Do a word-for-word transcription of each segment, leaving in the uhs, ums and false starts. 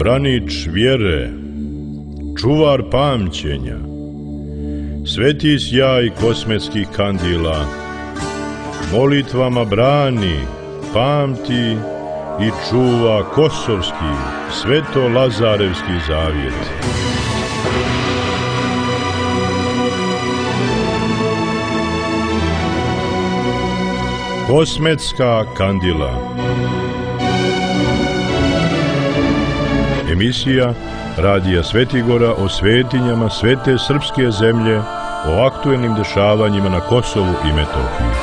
branič vjere, čuvar pamćenja, sveti sjaj kosmetskih kandila, molitvama brani, pamti i čuva kosovski, sveto-lazarevski zavjet. Kosmetska kandila. Emisija Radija Svetigora o svetinjama svete srpske zemlje, o aktuelnim dešavanjima na Kosovu i Metohiji.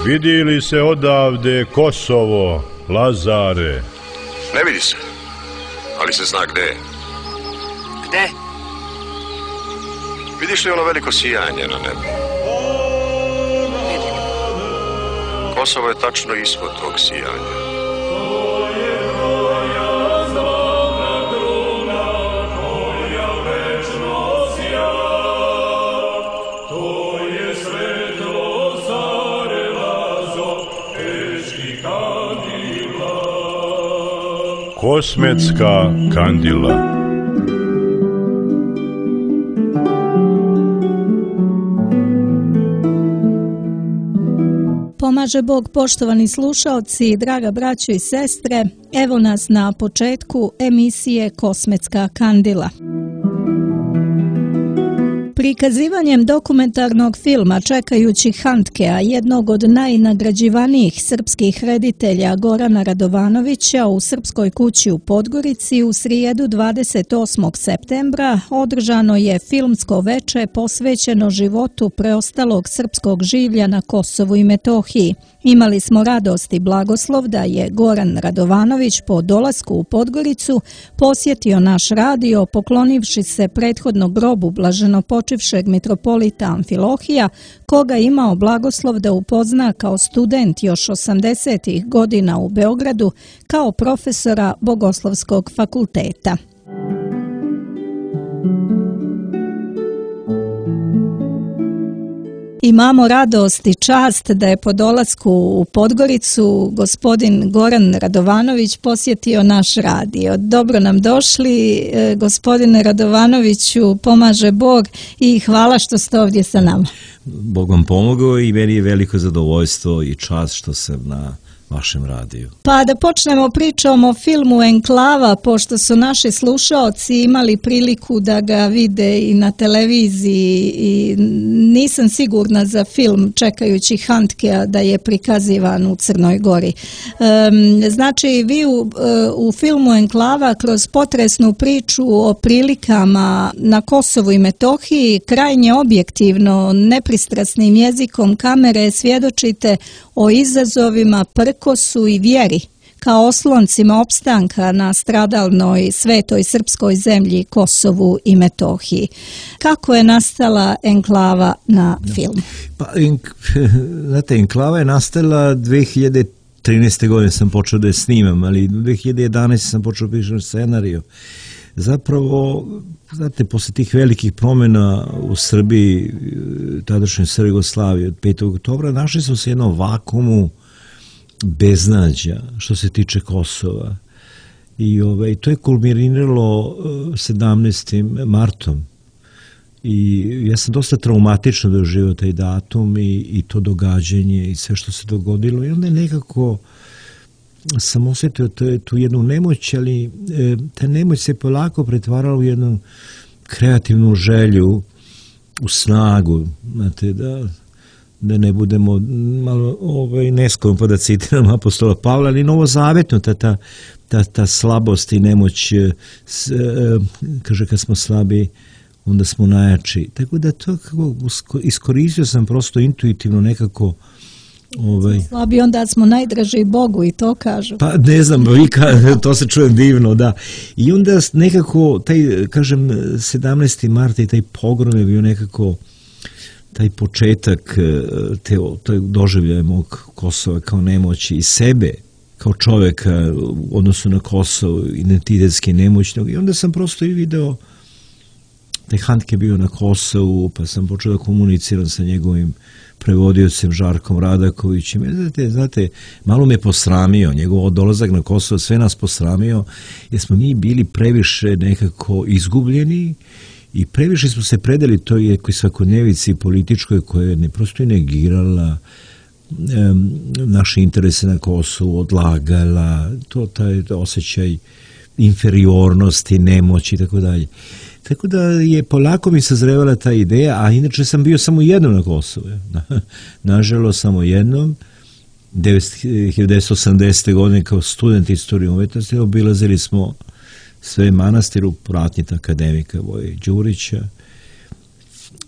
Vidi li se odavde Kosovo, Lazare? Ne vidi se, ali se zna gde je. Gde? Vidiš li ono veliko sijanje na nebu? Vidim. Kosovo je tačno ispod tog sijanja. Kosmetska kandila. Pomaže Bog, poštovani slušaoci, draga braćo i sestre, evo nas na početku emisije Kosmetska kandila. Prikazivanjem dokumentarnog filma Čekajući Handkea, jednog od najnagrađivanijih srpskih reditelja Gorana Radovanovića, u Srpskoj kući u Podgorici u srijedu dvadeset osmog septembra održano je filmsko veče posvećeno životu preostalog srpskog življa na Kosovu i Metohiji. Imali smo radost i blagoslov da je Goran Radovanović po dolasku u Podgoricu posjetio naš radio poklonivši se prethodno grobu blaženopočivšeg mitropolita Amfilohija, koga imao blagoslov da upozna kao student još osamdesetih godina u Beogradu kao profesora Bogoslovskog fakulteta. Imamo radost i čast da je po dolasku u Podgoricu gospodin Goran Radovanović posjetio naš radio. Dobro nam došli, gospodine Radovanoviću, pomaže Bog i hvala što ste ovdje sa nama. Bog vam pomogao i meni je veliko zadovoljstvo i čast što sam na vašem radiju. Pa da počnemo pričom o filmu Enklava, pošto su naši slušaoci imali priliku da ga vide i na televiziji i nisam sigurna za film Čekajući Handkea da je prikazivan u Crnoj Gori. Um, znači, vi u, u filmu Enklava kroz potresnu priču o prilikama na Kosovu i Metohiji krajnje objektivno, nepristrasnim jezikom kamere svjedočite o izazovima, prkosu i vjeri kao osloncima opstanka na stradalnoj svetoj srpskoj zemlji Kosovu i Metohiji. Kako je nastala Enklava na film? Pa, enk, znate, Enklava je nastala dve hiljade trinaeste. godine sam počeo da je snimam, ali dve hiljade jedanaeste. sam počeo pišem scenariju. Zapravo, znate, posle tih velikih promjena u Srbiji, tadašnjoj Jugoslaviji od petog oktobra, našli smo se jednom vakumu beznađa što se tiče Kosova. I ovaj, to je kulminiralo sedamnaestim martom. I ja sam dosta traumatično doživio taj datum i, i to događanje i sve što se dogodilo. I onda je nekako sam osjetio to, tu jednu nemoć, ali e, ta nemoć se polako pretvarala u jednu kreativnu želju, u snagu, znate, da, da ne budemo malo ovaj, neskromni pa da citiram apostola Pavla, ali novozavetno ta, ta, ta, ta slabost i nemoć, s, e, kaže kad smo slabi, onda smo najjači. Tako da to kako iskoristio sam prosto intuitivno nekako. Ovaj. Slabi onda smo najdraži Bogu i to kažu. Pa ne znam, vika, to se čuje divno, da. I onda nekako, taj, kažem, sedamnaesti marta i taj pogrom je bio nekako taj početak te, te doživljaja mog Kosova kao nemoći i sebe kao čoveka u odnosu na Kosovo, identitetski nemoćnog. I onda sam prosto i video taj Handke bio na Kosovu, pa sam počeo da komuniciram sa njegovim prevodiocem Žarkom Radakovićem. Znate, znate, malo me posramio, njegov dolazak na Kosovo, sve nas posramio, jer smo mi bili previše nekako izgubljeni i previše smo se predali toj svakodnevici političkoj koja je ne prosto negirala um, naše interese na Kosovu, odlagala, to taj osjećaj inferiornosti, nemoći i tako dalje. Tako da je polako mi sazrevala ta ideja, a inače sam bio samo jednom na Kosovu. Nažalost, samo jednom. hiljadu devetsto osamdesete. godine kao student istorije umetnosti obilazili smo sve manastir u pratnji akademika Voje Đurića.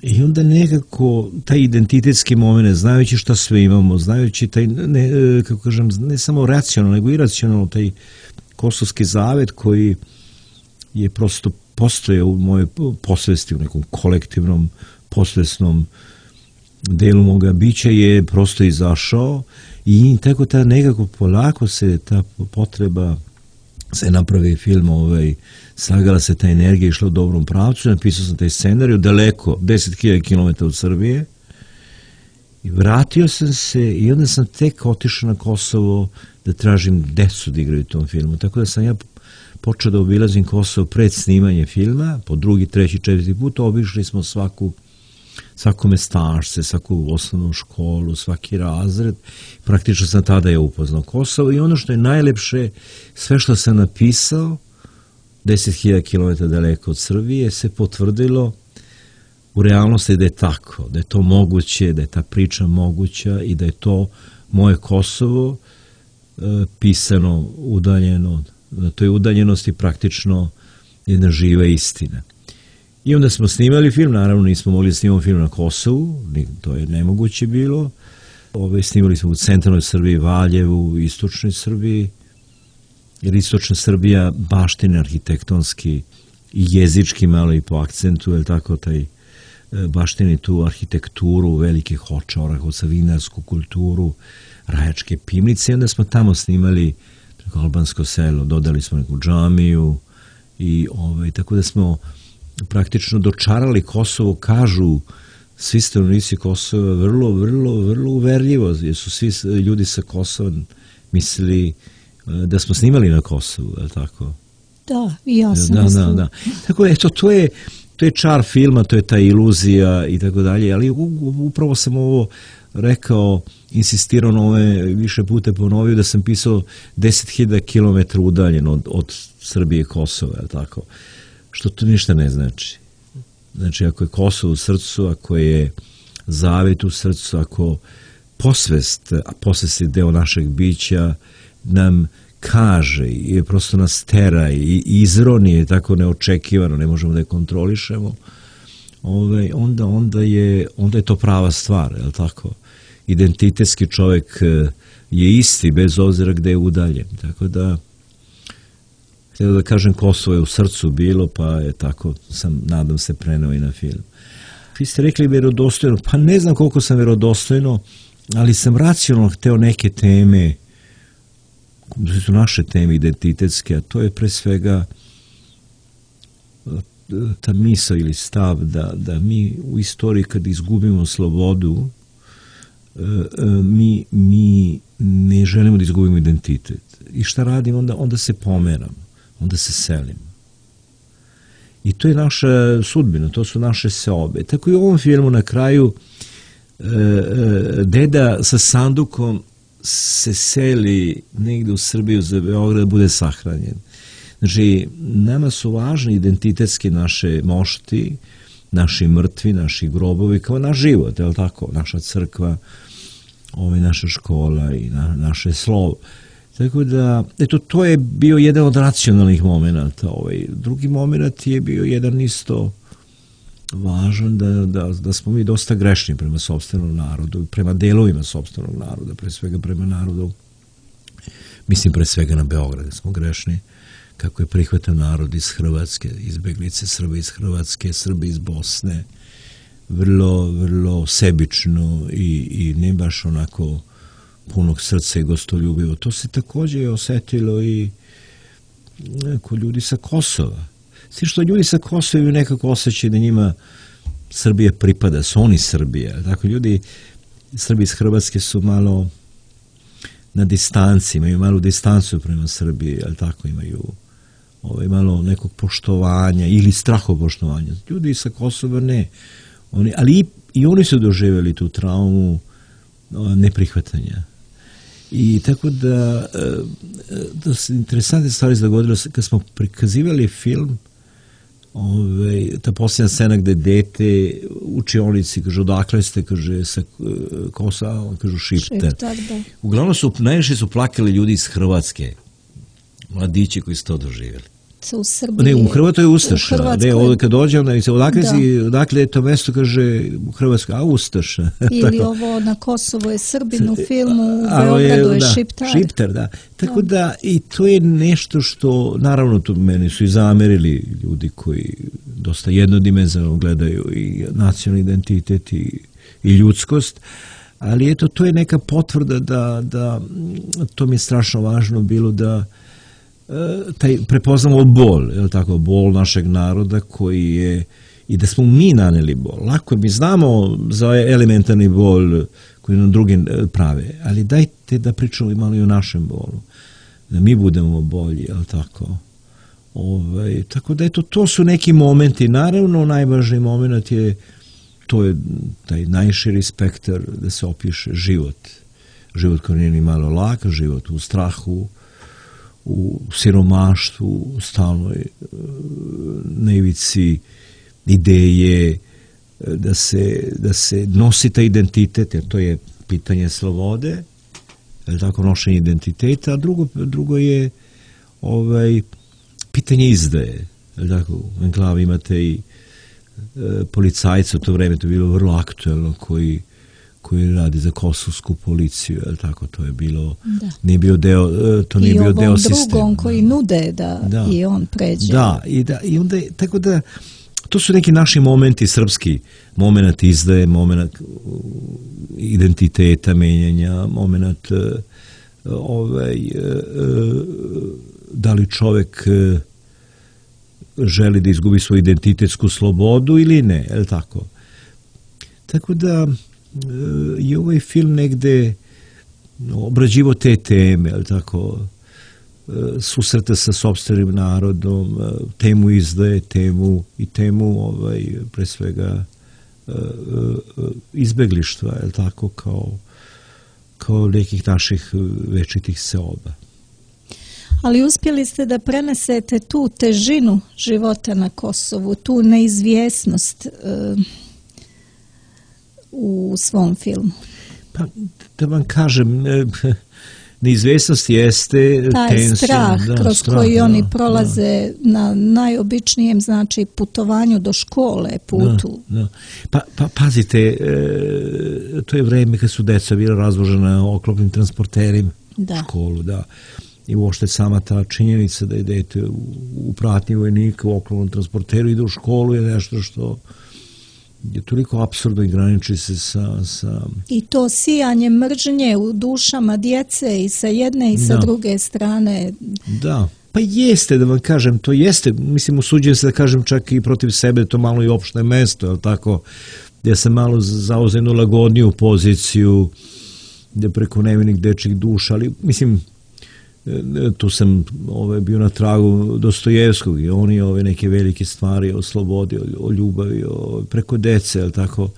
I onda nekako taj identitetski moment, znajući šta sve imamo, znajući taj, ne, kako kažem, ne samo racionalno, nego i iracionalno, taj kosovski zavet koji je prosto postoje u mojoj posvesti, u nekom kolektivnom, posvesnom delu moga bića je prosto izašao i tako ta nekako polako se ta potreba se napravi film, ovaj, sagala se ta energija, išla u dobrom pravcu, napisao sam taj scenariju, daleko, deset hiljada kilometara od Srbije, i vratio sam se i onda sam tek otišao na Kosovo da tražim decu da igraju u tom filmu, tako da sam ja počeo da obilazim Kosovo pred snimanje filma, po drugi, treći, četvrti put, obišli smo svaku, svako mestašce, svaku osnovnu školu, svaki razred. Praktično sam tada je upoznao Kosovo i ono što je najlepše, sve što sam napisao, deset hiljada kilometara daleko od Srbije, se potvrdilo u realnosti da je tako, da je to moguće, da je ta priča moguća i da je to moje Kosovo e, pisano, udaljeno, na toj udaljenosti praktično jedna živa istina. I onda smo snimali film, naravno nismo mogli da snimamo film na Kosovu, to je nemoguće bilo. Ove, snimali smo u centralnoj Srbiji, Valjevu, istočnoj Srbiji, jer istočna Srbija baštine arhitektonski i jezički malo i po akcentu, je tako, taj baštini tu arhitekturu velikih Hoča, Orahovca, vinarsku kulturu, Rajačke pivnice, i onda smo tamo snimali albansko selo, dodali smo neku džamiju i ovaj, tako da smo praktično dočarali Kosovo, kažu svi stanovnici Kosova vrlo, vrlo, vrlo uverljivo, jer su svi ljudi sa Kosova mislili da smo snimali na Kosovu, je li tako? Da, i ja sam da, mislila. da, da. Tako, eto, to je, to je čar filma, to je ta iluzija i tako dalje, ali upravo sam ovo rekao, insistirao na ove, više puta ponovio da sam pisao deset hiljada kilometara udaljen od, od Srbije i Kosova, je tako? Što to ništa ne znači. Znači, ako je Kosovo u srcu, ako je zavet u srcu, ako posvest, a posvest je deo našeg bića, nam kaže i prosto nas tera i izroni je tako neočekivano, ne možemo da je kontrolišemo, ove, onda, onda, je, onda je to prava stvar, je li tako? Identitetski čovjek je isti bez obzira gde je udaljen. Tako da, htio da kažem, Kosovo je u srcu bilo, pa je tako, sam, nadam se, preneo i na film. Vi ste rekli verodostojno, pa ne znam koliko sam verodostojno, ali sam racionalno hteo neke teme, to su naše teme identitetske, a to je pre svega ta misao ili stav da, da mi u istoriji kad izgubimo slobodu, mi, mi ne želimo da izgubimo identitet. I šta radim? Onda, onda se pomeram, onda se selim. I to je naša sudbina, to su naše seobe. Tako i u ovom filmu na kraju deda sa sandukom se seli negde u Srbiju za Beograd da bude sahranjen. Znači, nama su važni identitetski naše mošti, naši mrtvi, naši grobovi, kao naš život, je li tako? Naša crkva, ovaj, naša škola i na, naše slovo. Tako da, eto, to je bio jedan od racionalnih momenta. Ovaj. Drugi moment je bio jedan isto važan, da, da, da smo mi dosta grešni prema sopstvenom narodu, prema delovima sopstvenog naroda, pre svega prema narodu, mislim pre svega na Beograd, smo grešni, kako je prihvatan narod iz Hrvatske, izbeglice Srbi iz Hrvatske, Srbi iz Bosne, vrlo, vrlo sebično i, i ne baš onako punog srca i gostoljubivo. To se također osetilo i kod ljudi sa Kosova. svi što ljudi sa Kosova imaju nekako osjećaj da njima Srbija pripada, su oni Srbija. Tako ljudi, Srbi iz Hrvatske su malo na distanci, imaju malu distancu prema Srbiji, ali tako imaju ovaj, malo nekog poštovanja ili strahopoštovanja. Ljudi sa Kosova ne. Oni, ali i, i oni su doživjeli tu traumu neprihvatanja. I tako da, da su interesantne stvari dogodile kad smo prikazivali film, ove, ta posljednja scena gde dete u učionici kaže odakle ste, kaže sa Kosova, kažu Šiptar. Šiptar, da. Uglavnom su, najviše su plakali ljudi iz Hrvatske, mladići koji su to doživjeli. U Srbiji. Ne, u Hrvatskoj je Ustaša. Ne, ovdje kad dođem, odakle, si, odakle je to mesto, kaže u Hrvatskoj, a Ustaša. Ili ovo na Kosovo je Srbin u filmu, u Beogradu je, da, Šiptar. Šiptar, da. Tako da. da, i to je nešto što, naravno, to meni su i zamerili ljudi koji dosta jednodimenzionalno gledaju i nacionalni identitet i, i ljudskost, ali eto, to je neka potvrda da, da to mi je strašno važno bilo da taj prepoznamo bol, je li tako, bol našeg naroda koji je, i da smo mi naneli bol. Lako, mi znamo za elementarni bol koji nam drugi prave, ali dajte da pričamo i malo i o našem bolu, da mi budemo bolji, je li tako. Ove, tako da eto, to su neki momenti, naravno najvažniji moment je, to je taj najširi spektar da se opiše život. Život koji nije ni malo lak, život u strahu, u siromaštvu, u stalnoj na ivici ideje da se, da se nosi taj identitet, jer to je pitanje slobode, je tako, nošenje identiteta, a drugo, drugo je ovaj, pitanje izdaje. Je tako, u enklavi imate i e, policajca, u to vreme to je bilo vrlo aktuelno, koji koji radi za kosovsku policiju, je tako, to je bilo, da. Nije bio deo, to nije I bio deo sistema. I ovom drugom koji nude da, da i on pređe. Da, i, da, i onda, tako da, to su neki naši momenti srpski, moment izdaje, moment identiteta, menjanja, moment ovaj, da li čovek želi da izgubi svoju identitetsku slobodu ili ne, je li tako? Tako da, i ovaj film negde obrađivo te teme, ali tako, susreta sa sopstvenim narodom, temu izdaje, temu i temu ovaj, pre svega izbeglištva, ali tako, kao, kao nekih naših večitih seoba. Ali uspjeli ste da prenesete tu težinu života na Kosovu, tu neizvjesnost u svom filmu. Pa, da vam kažem, neizvjesnost jeste taj tensija, strah da, kroz strah, koji da, oni prolaze da. Na najobičnijem, znači, putovanju do škole, putu. Da, da. Pa, pa pazite, e, to je vreme kad su deca bila razvožena oklopnim transporterima da. U školu, da. I uopšte sama ta činjenica da idete u, u pratnji vojnika u oklopnom transporteru, ide u školu je nešto što je toliko apsurdno i graniči se sa, sa... I to sijanje mržnje u dušama djece i sa jedne i sa da. Druge strane. Da, pa jeste, da vam kažem, to jeste, mislim, usuđujem se da kažem čak i protiv sebe, to malo i opšte mesto, ali tako, gdje sam malo zauzeo jednu lagodniju poziciju, gdje preko nevinih dečjih duša, ali, mislim, tu sam ove, bio na tragu Dostojevskog i oni ove neke velike stvari o slobodi, o, o ljubavi, o, preko dece, ali tako,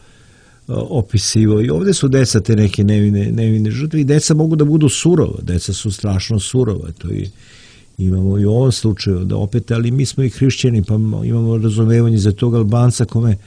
opisivo. I ovdje su deca te neke nevine, nevine žrtve i deca mogu da budu surova, deca su strašno surova, to i imamo i u ovom slučaju, da opet, ali mi smo i hrišćani, pa imamo razumevanje za tog Albanca kome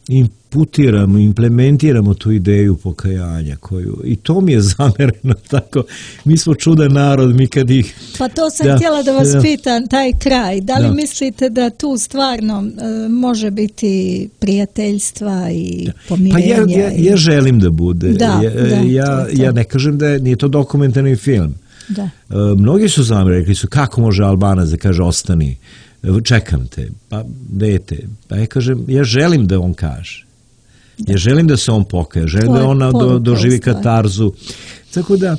imputiramo, implementiramo tu ideju pokajanja koju, i to mi je zamereno tako, mi smo čudan narod, mi kad ih... Pa to sam da, htjela da vas da, pitam, taj kraj, da li da. Mislite da tu stvarno uh, može biti prijateljstva i da. Pomirenja? Pa ja, ja, ja želim da bude, da, ja, da, ja, to to. ja ne kažem da je, nije to dokumentarni film. Da. Uh, mnogi su zamerili, rekli su kako može Albanac da kaže ostani, čekam te, pa dete, pa ja kažem, ja želim da on kaže, da. Ja želim da se on pokaje, želim da on do, doživi katarzu, tako da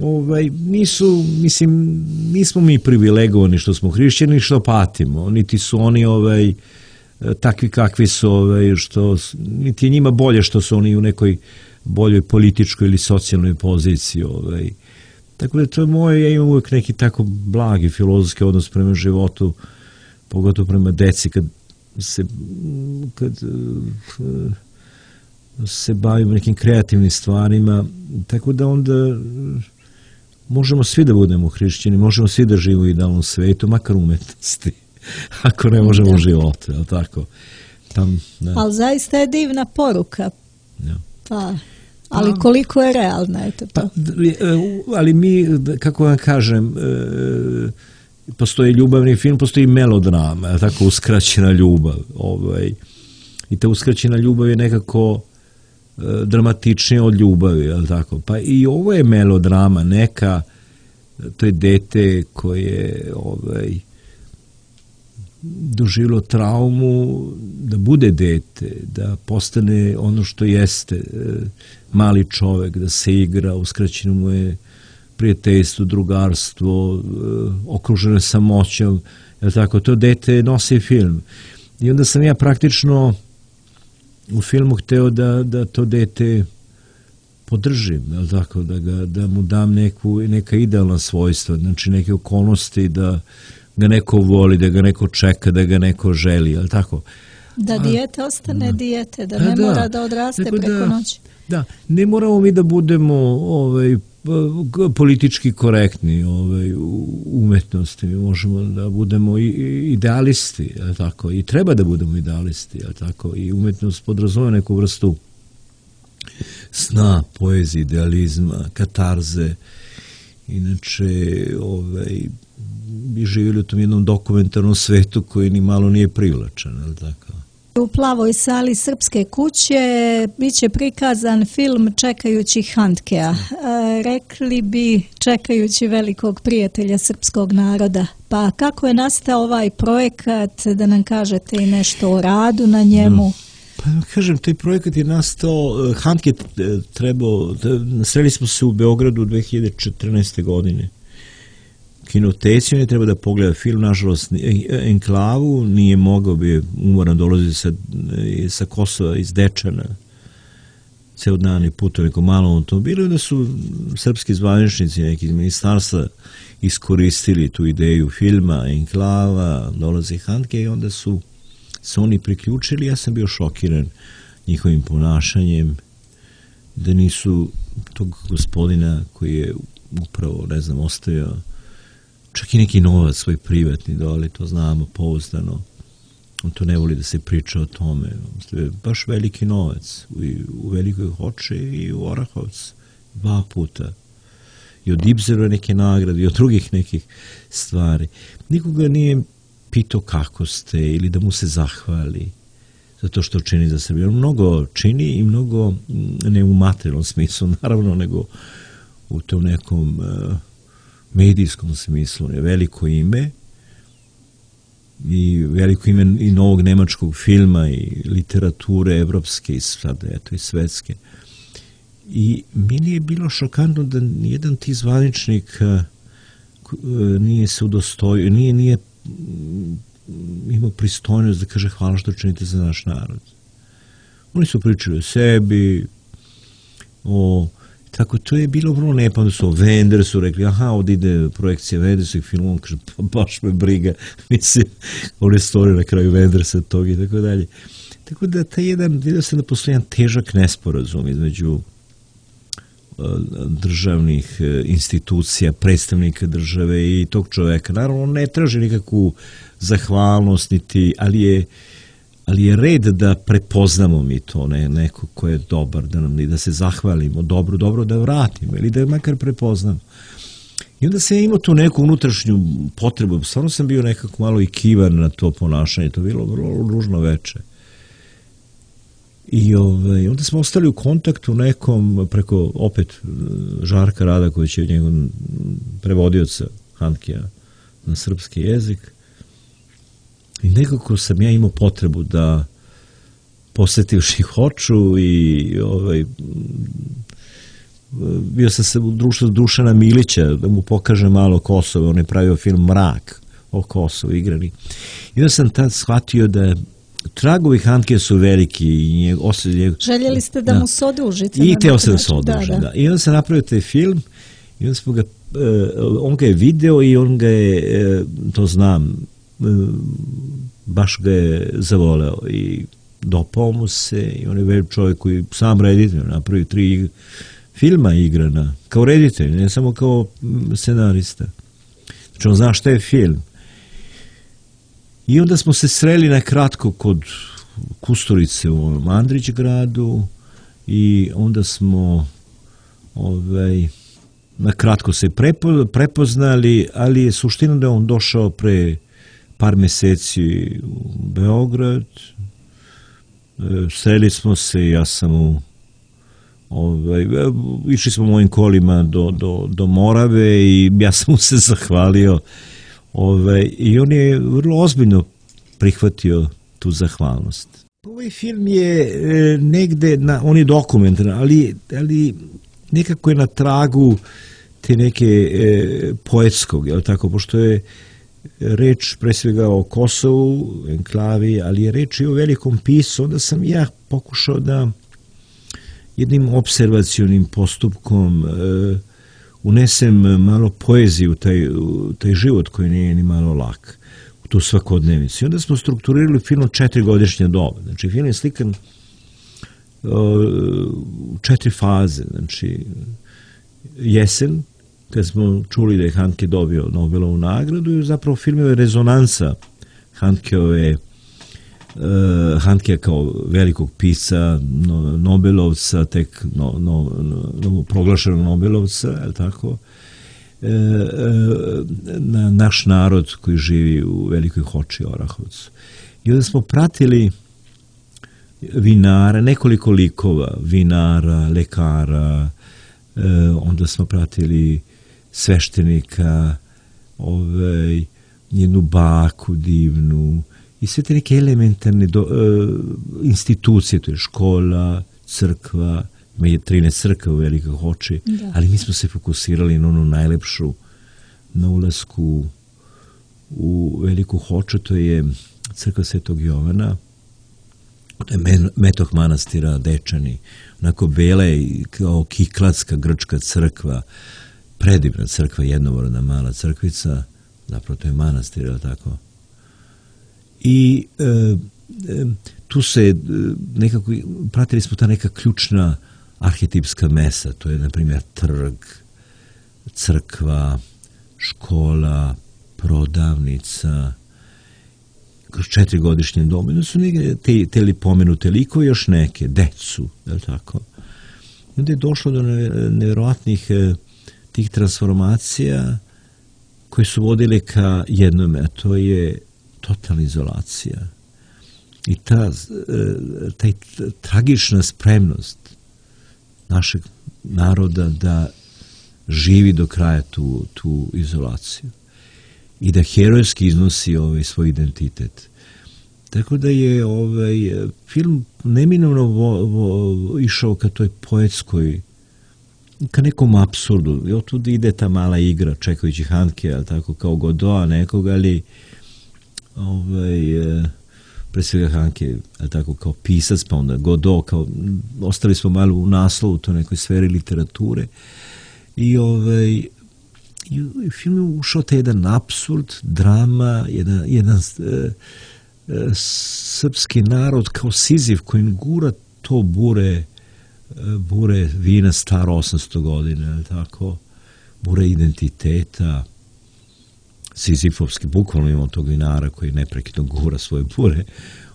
ovaj, nisu, mislim, nismo mi privilegovani što smo hrišćani, što patimo, niti su oni ovaj, takvi kakvi su, ovaj, što, niti je njima bolje što su oni u nekoj boljoj političkoj ili socijalnoj poziciji. Ovaj. Tako da to je moje, ja imam uvijek neki tako blagi filozofski odnos prema životu, pogotovo prema deci, kad se, kad se bavimo nekim kreativnim stvarima, tako da onda možemo svi da budemo hrišćani, možemo svi da živimo u idealnom svetu, makar umetnosti, ako ne možemo u životu, je li tako? Tam, ali zaista je divna poruka. Ja. Pa, ali koliko je realna, eto to. Pa, ali mi, kako vam kažem, postoji ljubavni film, postoji melodrama, je li tako, uskraćena ljubav. Ovaj, i ta uskraćena ljubav je nekako dramatičnije od ljubavi, je li tako? Pa i ovo je melodrama neka, to je dete koje ovaj, doživjelo traumu da bude dete, da postane ono što jeste mali čovek, da se igra, uskraćeno mu je prijateljstvo, drugarstvo, okruženo je samoćom, je li tako? To dete nosi film. I onda sam ja praktično u filmu hteo da, da to dete podržim, je li tako, da, ga, da mu dam neku, neka idealna svojstva, znači neke okolnosti da ga neko voli, da ga neko čeka, da ga neko želi, je li tako? Da dijete ostane da. dijete, da ne da, mora da odraste preko da, noći. Da, ne moramo mi da budemo ovaj, politički korektni ovaj, u umetnosti, mi možemo da budemo i idealisti, je li tako? I treba da budemo idealisti, je li tako? I umetnost podrazumeva neku vrstu sna, poezije, idealizma, katarze. Inače, ovaj, bi živjeli u tom jednom dokumentarnom svetu koji ni malo nije privlačan, je li tako? U plavoj sali Srpske kuće bit će prikazan film Čekajući Handkea. E, rekli bi čekajući velikog prijatelja srpskog naroda. Pa kako je nastao ovaj projekat, da nam kažete i nešto o radu na njemu? Pa kažem, taj projekat je nastao, Handke trebao, sreli smo se u Beogradu dve hiljade četrnaeste. godine. Kinoteci, on je treba da pogleda film, nažalost, Enklavu, nije mogao, bi je umoran, dolazi sa, sa Kosova iz Dečana, ceo dan je putao neko malom automobilu, da su srpski zvaničnici, neki iz ministarstva iskoristili tu ideju filma, Enklava, dolazi Handke i onda su se oni priključili. Ja sam bio šokiran njihovim ponašanjem, da nisu tog gospodina koji je upravo, ne znam, ostavio čak i neki novac svoj privatni dole, to znamo pouzdano. On to ne voli da se priča o tome. Baš veliki novac u, u Velikoj Hoči i u Orahovcu. Dva puta. I od Ibzerove neke nagrade i od drugih nekih stvari. Nikoga nije pitao kako ste ili da mu se zahvali za to što čini za Srbiju. On mnogo čini i mnogo, ne u materijalnom smislu, naravno, nego u tom nekom uh, medijskom smislu. Je veliko ime i veliko ime i novog nemačkog filma i literature evropske i sada, eto, i svetske. I meni je bilo šokantno da nijedan ti zvaničnik uh, nije se udostojio, nije, nije imao pristojnost da kaže hvala što činite za naš narod. Oni su pričali o sebi, o tako, to je bilo vrlo nepa, onda su o Wendersu rekli, aha, ovdje ide projekcija Wendersu i film, on kaže, pa baš me briga, mislim, one stvari na kraju Wendersa tog i tako dalje. Tako da, taj jedan, vidio sam da postoji jedan težak nesporazum između državnih institucija, predstavnika države i tog čoveka. Naravno, on ne traži nikakvu zahvalnost, niti, ali je ali je red da prepoznamo mi to, ne, neko ko je dobar, da nam da se zahvalimo, dobro, dobro da vratimo, ili da je makar prepoznamo. I onda sam imao tu neku unutrašnju potrebu, stvarno sam bio nekako malo i kivan na to ponašanje, to je bilo vrlo ružno veče. I ovaj, onda smo ostali u kontaktu nekom, preko opet Žarka Rada, koji će njegov prevodioca Handkea na srpski jezik. I nekako sam ja imao potrebu da posetivši Hoču i ovaj, bio sam se u društvu Dušana Milića, da mu pokaže malo Kosovo, on je pravio film Mrak o Kosovu igrani. I onda sam tad shvatio da tragovi Handke su veliki. I osjećaj, željeli ste da, da mu se odužite? I teo se da se odužim, da, da. da. I onda sam napravio taj film i onda smo ga, on ga je video i on ga je, to znam, baš ga je zavoleo i dopao mu se i on je velik čovjek koji sam reditelj, napravio tri filma igrana, kao reditelj, ne samo kao scenarista. Znači on zna šta je film. I onda smo se sreli na kratko kod Kusturice u Andrić gradu i onda smo ovaj, na kratko se prepo, prepoznali, ali je suština da je on došao pre par meseci u Beograd. Sreli smo se, ja sam u ovaj, išli smo mojim kolima do, do, do Morave i ja sam mu se zahvalio. Ove, i on je vrlo ozbiljno prihvatio tu zahvalnost. Ovaj film je e, negde, na, on je dokumentaran, ali, ali nekako je na tragu te neke e, poetskog, je li tako, pošto je reč pre svega o Kosovu, enklavi, ali je reč i o velikom pisu, onda sam ja pokušao da jednim observacionim postupkom e, unesem malo poezije u taj, u taj život koji nije ni malo lak, u tu svakodnevicu. I onda smo strukturirali film od četiri godišnje doba. Znači, film je slikan u četiri faze. Znači, jesen, kad smo čuli da je Handke dobio Nobelovu nagradu i zapravo film je rezonansa Handkeove Uh, Handke kao velikog pisca, no, Nobelovca, tek no, no, no, proglašenog Nobelovca, je li tako, e, e, na naš narod koji živi u Velikoj Hoči, Orahovcu. I onda smo pratili vinara, nekoliko likova, vinara, lekara, e, onda smo pratili sveštenika, ovaj, jednu baku divnu, i sve te neke elementarne do, uh, institucije, to je škola, crkva, ima je trinaest crkva u Velikoj Hoči, da. Ali mi smo se fokusirali na onu najlepšu, na ulasku u Veliku Hoču, to je crkva Svetog Jovana, to je metoh manastira Dečani, onako bela je kao kiklatska grčka crkva, predivna crkva, jednovorna mala crkvica, zapravo to je manastir, je li tako? I e, e, tu se e, nekako, pratili smo ta neka ključna arhetipska mesa, to je, na primjer, trg, crkva, škola, prodavnica, kroz četiri godišnje dobe, no su neke, te, te li pomenute liko, još neke, decu, je li tako? I onda je došlo do nevjerojatnih e, tih transformacija koje su vodile ka jednome, a to je totalna izolacija. I ta, taj tragična spremnost našeg naroda da živi do kraja tu, tu izolaciju i da herojski iznosi ovaj svoj identitet. Tako da je ovaj film neminovno vo, vo, išao ka toj poetskoj, ka nekom apsurdu. I otud ide ta mala igra čekajući Handke, ali tako kao Godoa nekoga, ali ovaj, pre svega Handke, ali tako kao pisac, pa onda Godot, kao, ostali smo malo u naslovu to nekoj sferi literature i ovaj i u film je ušao te jedan apsurd, drama, jedan, jedan e, e, srpski narod kao Siziv koji gura to bure bure vina staro osamsto godina, ali tako, bure identiteta, Sizifovski, bukvalno imamo tog vinara koji neprekidno gura svoje bure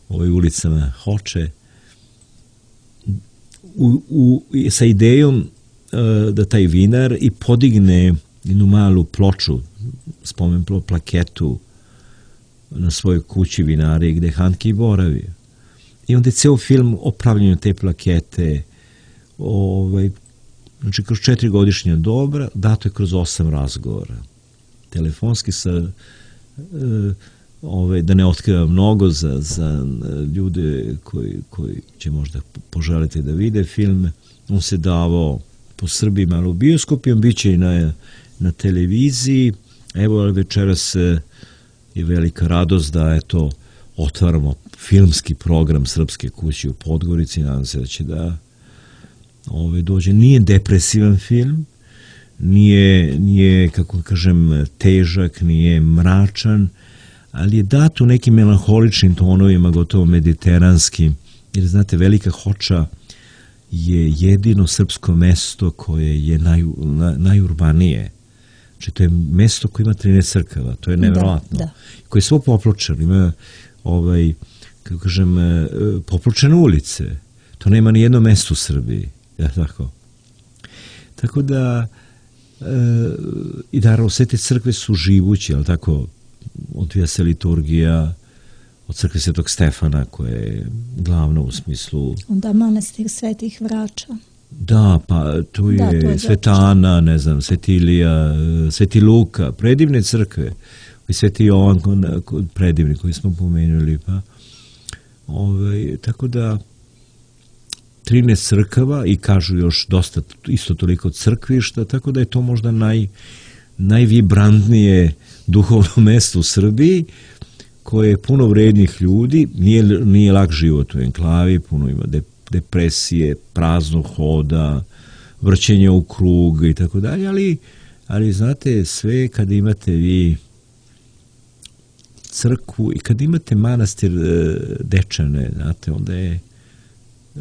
ovoj ulicama Hoče, u, u, sa idejom uh, da taj vinar i podigne jednu malu ploču, spomen plaketu na svojoj kući vinari gde Handke i boravio. I onda je ceo film o pravljenju te plakete, ovaj, znači kroz četiri godišnja dobra, dato je kroz osam razgovora. Telefonski sa, e, ovaj, da ne otkrivam mnogo za, za ljude koji, koji će možda poželiti da vide film, on se davao po Srbiji malo u bioskopima, bit će i na, na televiziji. Evo večeras je velika radost da eto, otvaramo filmski program Srpske kuće u Podgorici. Nadam se da će da ove, dođe. Nije depresivan film, nije, nije, kako kažem, težak, nije mračan, ali je dat u nekim melanholičnim tonovima, gotovo mediteranskim, jer znate, Velika Hoča je jedino srpsko mesto koje je naj, na, najurbanije. Znači, to je mesto koje ima trinaest crkava, to je nevjerojatno. Da, da. Koje je svo popločeno, ima ovaj, kako kažem, popločene ulice. To nema ni jedno mesto u Srbiji. Ja, tako. Tako da, e, i naravno, sve te crkve su živući, ali tako, odvija se liturgija od crkve Svetog Stefana, koja je glavna u smislu... Onda manastir Svetih Vrača. Da, pa tu je, da, je Sveta Ana, ne znam, Sveti Ilija, Sveti Luka, predivne crkve, i Sveti Jovan, predivni koji smo pomenuli, pa ove, tako da trinaest crkava i kažu još dosta, isto toliko crkvišta, tako da je to možda naj, najvibrantnije duhovno mesto u Srbiji, koje je puno vrednih ljudi, nije, nije lak život u enklavi, puno ima de, depresije, prazno hoda, vrćenje u krug i tako dalje, ali, ali znate, sve kad imate vi crkvu i kad imate manastir Dečane, znate, onda je,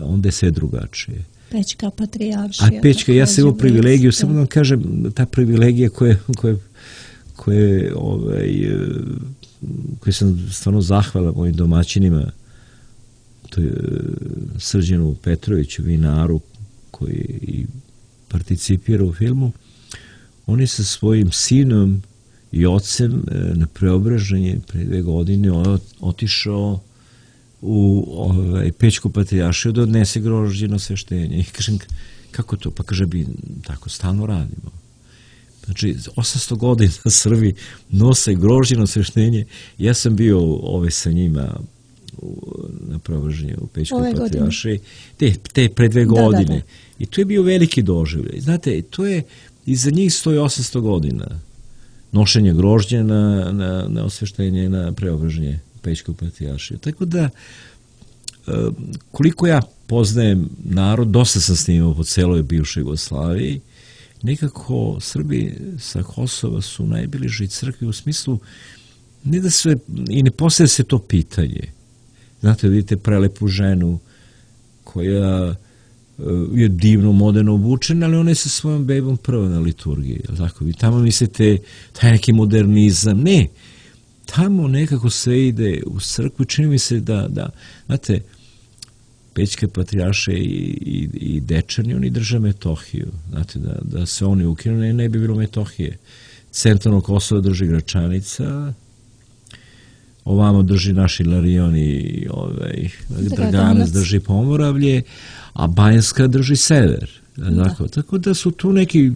onda je sve drugačije. Pećka patrijaršija. A Pećka, ja sam imao privilegiju, samo da vam kažem, ta privilegija koja, koja, koja ovaj, koji sam stvarno zahvalan mojim domaćinima, to je Srđanu Petroviću, vinaru, koji i participira u filmu. On je sa svojim sinom i ocem na Preobraženje pre dve godine otišao u ovaj, Pećku patrijaršiju da odnese grožđe sveštenje. I kažem, kako to? Pa kaže, bi tako stalno radimo. Znači, osamsto godina Srbi nose grožđeno sveštenje. Ja sam bio ove sa njima u, na Preobraženju u Pećkoj patrijaršiji. Te, te pre dve godine. Da, da, da. I to je bio veliki doživljaj. Znate, to je, iza njih stoji osamsto godina nošenje grožđa na, na, na osveštenje, na Preobraženje u Pećkoj patrijaršiji. Tako da, koliko ja poznajem narod, dosta sam snimao po celoj bivšoj Jugoslaviji, nekako Srbi sa Kosova su najbliži crkvi u smislu ne da se, i ne postavlja se to pitanje. Znate, vidite prelepu ženu koja je divno, moderno obučena, ali ona je sa svojom bebom prva na liturgiji. Tako, vi tamo mislite taj neki modernizam. Ne, tamo nekako sve ide u crkvu. Čini mi se da, da znate, Pećke patrijarše i, i, i Dečani, oni drže Metohiju. Znate, da, da se oni ukinu, ne, ne bi bilo Metohije. Centralno Kosovo drži Gračanica, ovamo drži naš Ilarion i ovaj, Draganac drži Pomoravlje, a Banjska drži sever. Tako, tako da su tu neki...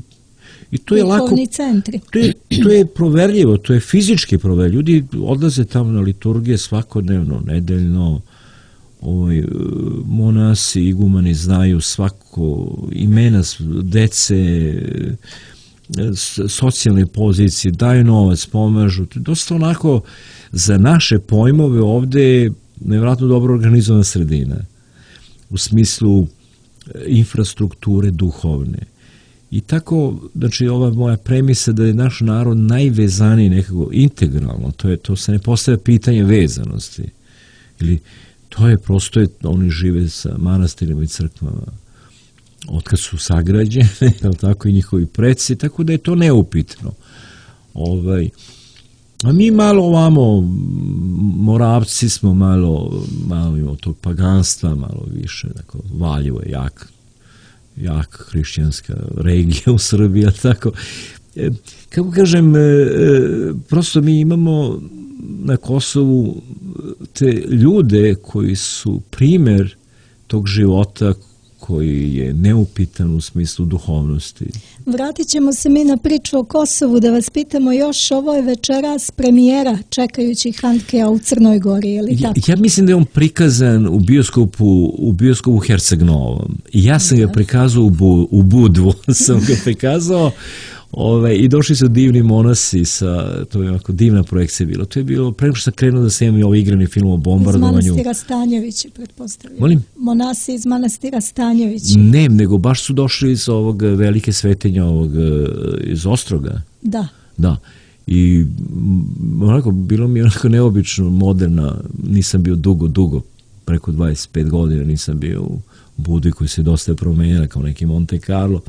I to je lako... centri. To je, to je proverljivo, to je fizički proverljivo. Ljudi odlaze tamo na liturgije svakodnevno, nedeljno. Ovaj, monasi, igumani znaju svako imena dece, socijalne pozicije, daju novac, pomažu. To je dosta onako za naše pojmove ovde nevjerojatno dobro organizovana sredina. U smislu infrastrukture duhovne. I tako, znači, ova moja premisa da je naš narod najvezaniji nekako integralno, to je, to se ne postavlja pitanje vezanosti. Ili to je prosto, je, oni žive sa manastirima i crkvama otkad su sagrađene, tako i njihovi preci, tako da je to neupitno. Ovaj, a mi malo ovamo, Moravci smo malo, malo imamo tog paganstva, malo više, tako, Valjevo je jak, jak hrišćanska regija u Srbiji, tako. E, kako kažem, e, prosto mi imamo na Kosovu te ljude koji su primer tog života koji je neupitan u smislu duhovnosti. Vratit ćemo se mi na priču o Kosovu, da vas pitamo još, ovo je večeras premijera čekajući Handkea u Crnoj Gori, je li tako? Ja, ja mislim da je on prikazan u bioskopu, u bioskopu Herceg Novom. Ja sam ga prikazao u, Bu, u Budvu, sam ga prikazao. Ove, i došli su divni monasi sa, to je ovako divna projekcija bila. To je bilo, preko što sam krenuo da snimam i ovaj igrani film o bombardovanju. Iz manastira Stanjevića, pretpostavljam. Molim? Monasi iz manastira Stanjevića. Ne, nego baš su došli iz ovog velike svetinja, ovog, iz Ostroga. Da. Da. I onako, bilo mi je onako neobično, moderna, nisam bio dugo, dugo, preko dvadeset pet godina nisam bio u Budvi koji se dosta promenila kao neki Monte Carlo.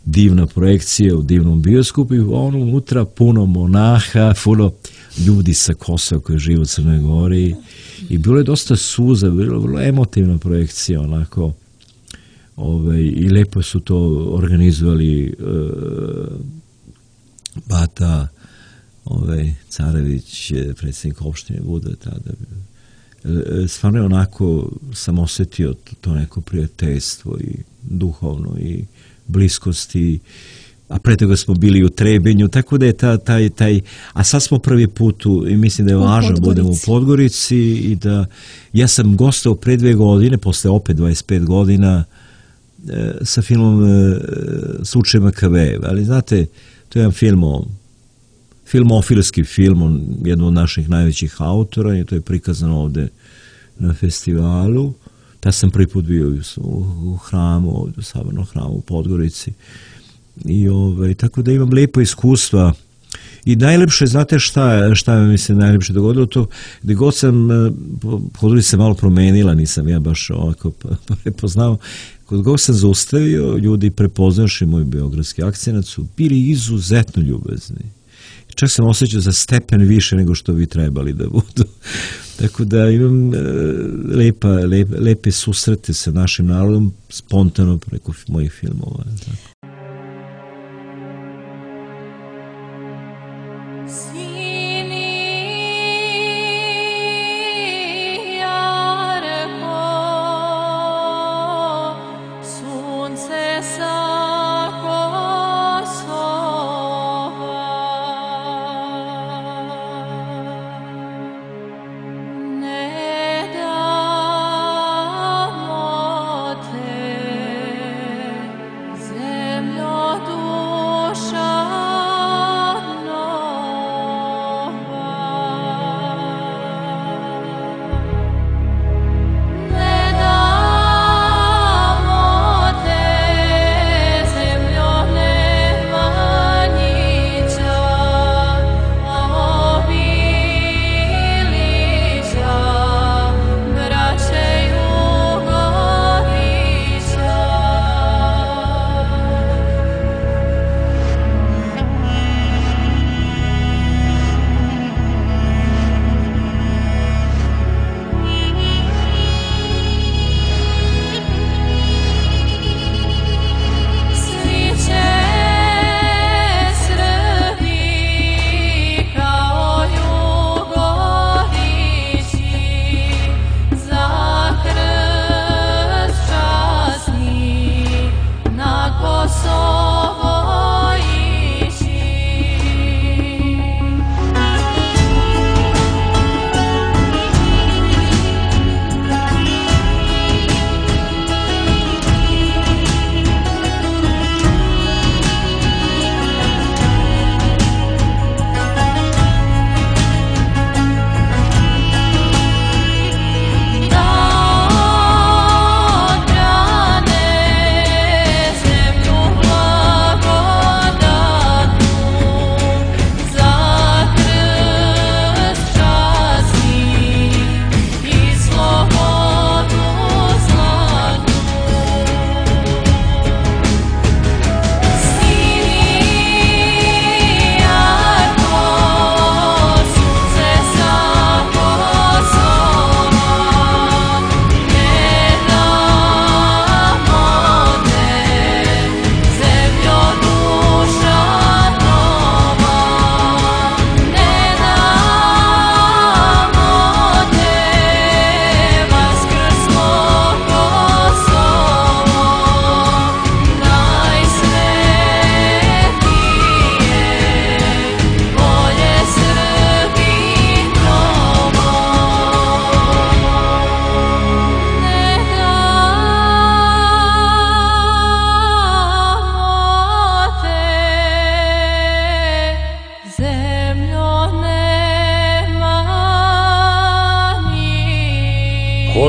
Divna projekcija u divnom bioskopu i ono unutra puno monaha, puno ljudi sa Kosova koji žive u Crnoj Gori i bilo je dosta suza, bilo vrlo emotivna projekcija onako ove, i lepo su to organizovali e, Bata ove, Carević, predsjednik opštine Budve tada. E, stvarno je onako sam osjetio to, to neko prijateljstvo i duhovno i bliskosti, a pre toga smo bili u Trebinju, tako da je ta, taj, taj, a sad smo prvi put u, i mislim da je važno da budemo u Podgorici i da, ja sam gostao pre dve godine, posle opet dvadeset pet godina, e, sa filmom e, Slučaj Makavejev, ali znate, to je jedan film o, filmofilski film, on, jedno od naših najvećih autora i to je prikazano ovde na festivalu. Ja sam prvi put bio u hramu, ovdje u Sabornom hramu u Podgorici. I ovaj, tako da imam lepo iskustva. I najlepše, znate šta, šta mi se najlepše dogodilo? To, gdje god sam, Podgorica se malo promenila, nisam ja baš ovako prepoznao. Kod god sam zaustavio, ljudi prepoznaši moj beogradski akcenat su bili izuzetno ljubezni. Čak sam osjećao za stepen više nego što bi trebali da budu. Tako da imam e, lepa, lepe, lepe susrete sa našim narodom spontano preko mojih filmova. Tako.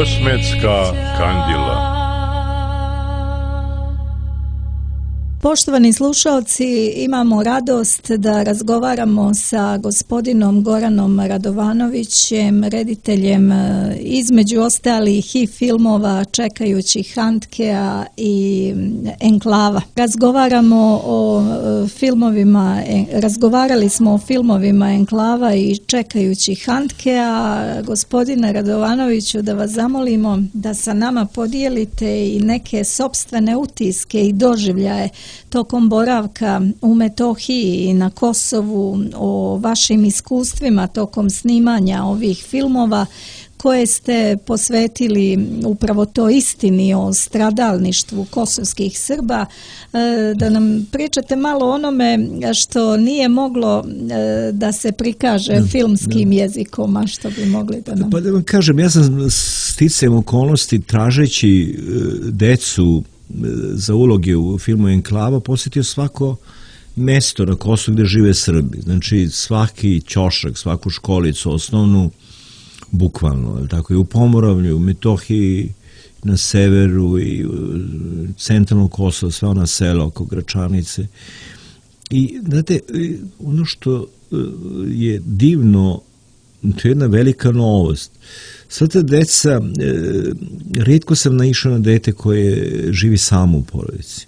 Osmetska kandila. Poštovani slušalci, imamo radost da razgovaramo sa gospodinom Goranom Radovanovićem, rediteljem između ostalih i filmova Čekajući Handkea i Enklava. Razgovaramo o filmovima, razgovarali smo o filmovima Enklava i Čekajući Handkea. Gospodine Radovanoviću, da vas zamolimo da sa nama podijelite i neke sopstvene utiske i doživljaje tokom boravka u Metohiji i na Kosovu, o vašim iskustvima tokom snimanja ovih filmova koje ste posvetili upravo to istini o stradalništvu kosovskih Srba, da nam pričate malo onome što nije moglo da se prikaže filmskim jezikom, a što bi mogli da nam... Pa da vam kažem, ja sam sticajem okolnosti tražeći decu za uloge u filmu Enklava posjetio svako mesto na Kosovu gde žive Srbi. Znači svaki ćošak, svaku školicu osnovnu, bukvalno, tako i u Pomoravlju, u Metohiji, na severu i u centralnom Kosovu, sve ona sela oko Gračanice. I, znate, ono što je divno, to je jedna velika novost. Sva ta deca, e, rijetko sam naišao na dete koje živi samo u porodici.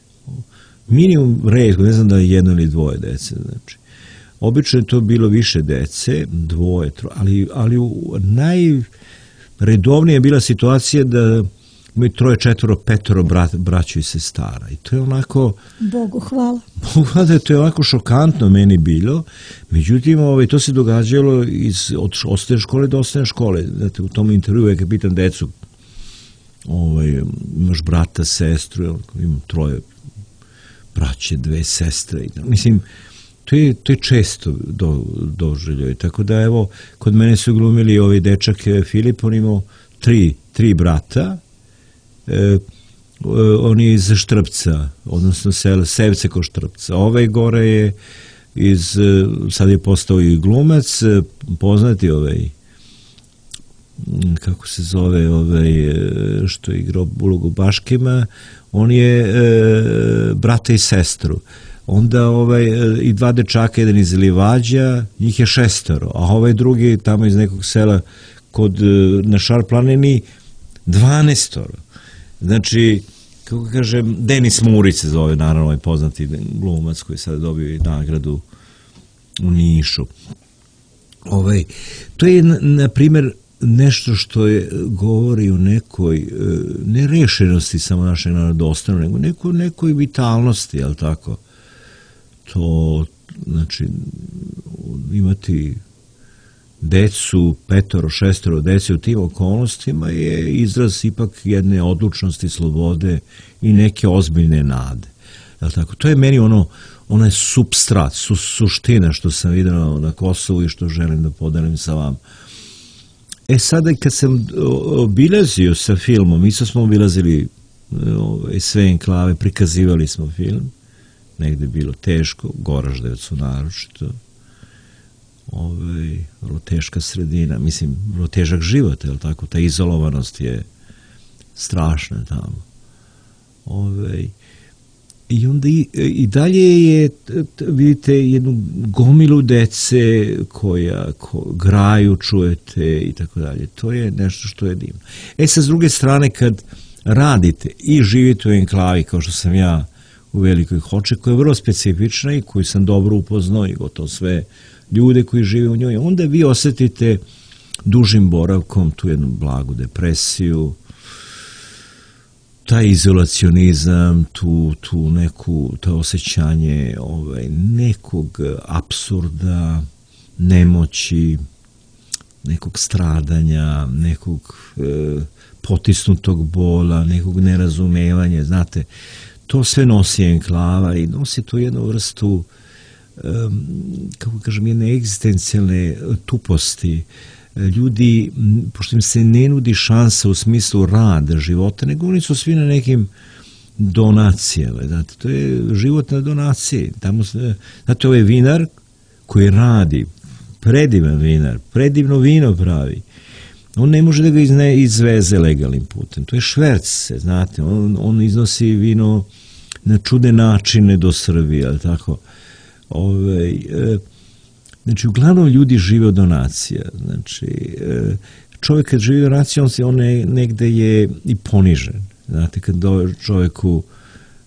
Minimum rijetko, ne znam da je jedno ili dvoje dece. Znači. Obično je to bilo više dece, dvoje, troje, ali, ali u najredovnije je bila situacija da imaju troje, četvoro, petoro brat, braću i sestara. I to je onako... Bogu hvala. Bogu hvala, to je onako šokantno meni bilo. Međutim, ovaj, to se događalo iz, od osnovne škole do osnovne škole. Znate, u tom intervju je kad pitam decu, ovaj, imaš brata, sestru, imam troje braće, dve sestre. Mislim, to je, to je često do, doživljaj. Tako da, evo, kod mene su glumili ovaj dečak Filip, on imao tri, tri brata. E, on je iz Štrpca, odnosno sela Sevce kod Štrpca. Ovaj gore je iz, sad je postao i glumac, poznati ovaj, kako se zove, ovaj, što je igrao ulogu Baškima, on je e, brata i sestru. Onda ovaj, i dva dečaka, jedan iz Livađa, njih je šestoro, a ovaj drugi tamo iz nekog sela kod, na Šar planini, dvanaestoro. Znači, kako kažem, Denis Murić se zove, naravno, ovaj poznati glumac koji sad dobio i nagradu u Nišu. Ovaj, to je, na primjer, nešto što je, govori o nekoj nerešenosti samo našeg narodostana, nego nekoj, nekoj vitalnosti, jel tako? To, znači, imati decu, petoro, šestoro dece u tim okolnostima je izraz ipak jedne odlučnosti, slobode i neke ozbiljne nade. Jel tako? To je meni ono, onaj supstrat, su, suština što sam vidio na Kosovu i što želim da podelim sa vam. E sada kad sam obilazio sa filmom, isto smo obilazili sve enklave, prikazivali smo film, negde je bilo teško, Goraždevcu naročito, ovaj, vrlo teška sredina, mislim, vrlo težak život, je li tako, ta izolovanost je strašna tamo. Ovaj, I onda i, i dalje je, vidite, jednu gomilu dece koja ko, graju, čujete i tako dalje. To je nešto što je divno. E sad, s druge strane, kad radite i živite u enklavi, kao što sam ja u Velikoj Hoči, koja je vrlo specifična i koju sam dobro upoznao i gotovo sve ljude koji žive u njoj, onda vi osetite dužim boravkom tu jednu blagu depresiju, taj izolacionizam, tu, tu neku, to osjećanje ovaj, nekog apsurda, nemoći, nekog stradanja, nekog e, potisnutog bola, nekog nerazumevanja, znate, to sve nosi enklava i nosi tu jednu vrstu, e, kako kažem, jedne egzistencijalne tuposti. Ljudi, pošto im se ne nudi šansa u smislu rada, života, nego oni su svi na nekim donacijama. Znate, to je život na donaciji. Tamo, znate, ovaj vinar koji radi, predivan vinar, predivno vino pravi. on ne može da ga izne, izveze legalnim putem. To je šverc, znate, on, on iznosi vino na čudne načine do Srbije, ali tako. Ove, e, znači, uglavnom ljudi žive od donacija. Znači, e, čovjek kad živi od donacija, on, se, on ne, negde je i ponižen. Znate, kad do čovjeku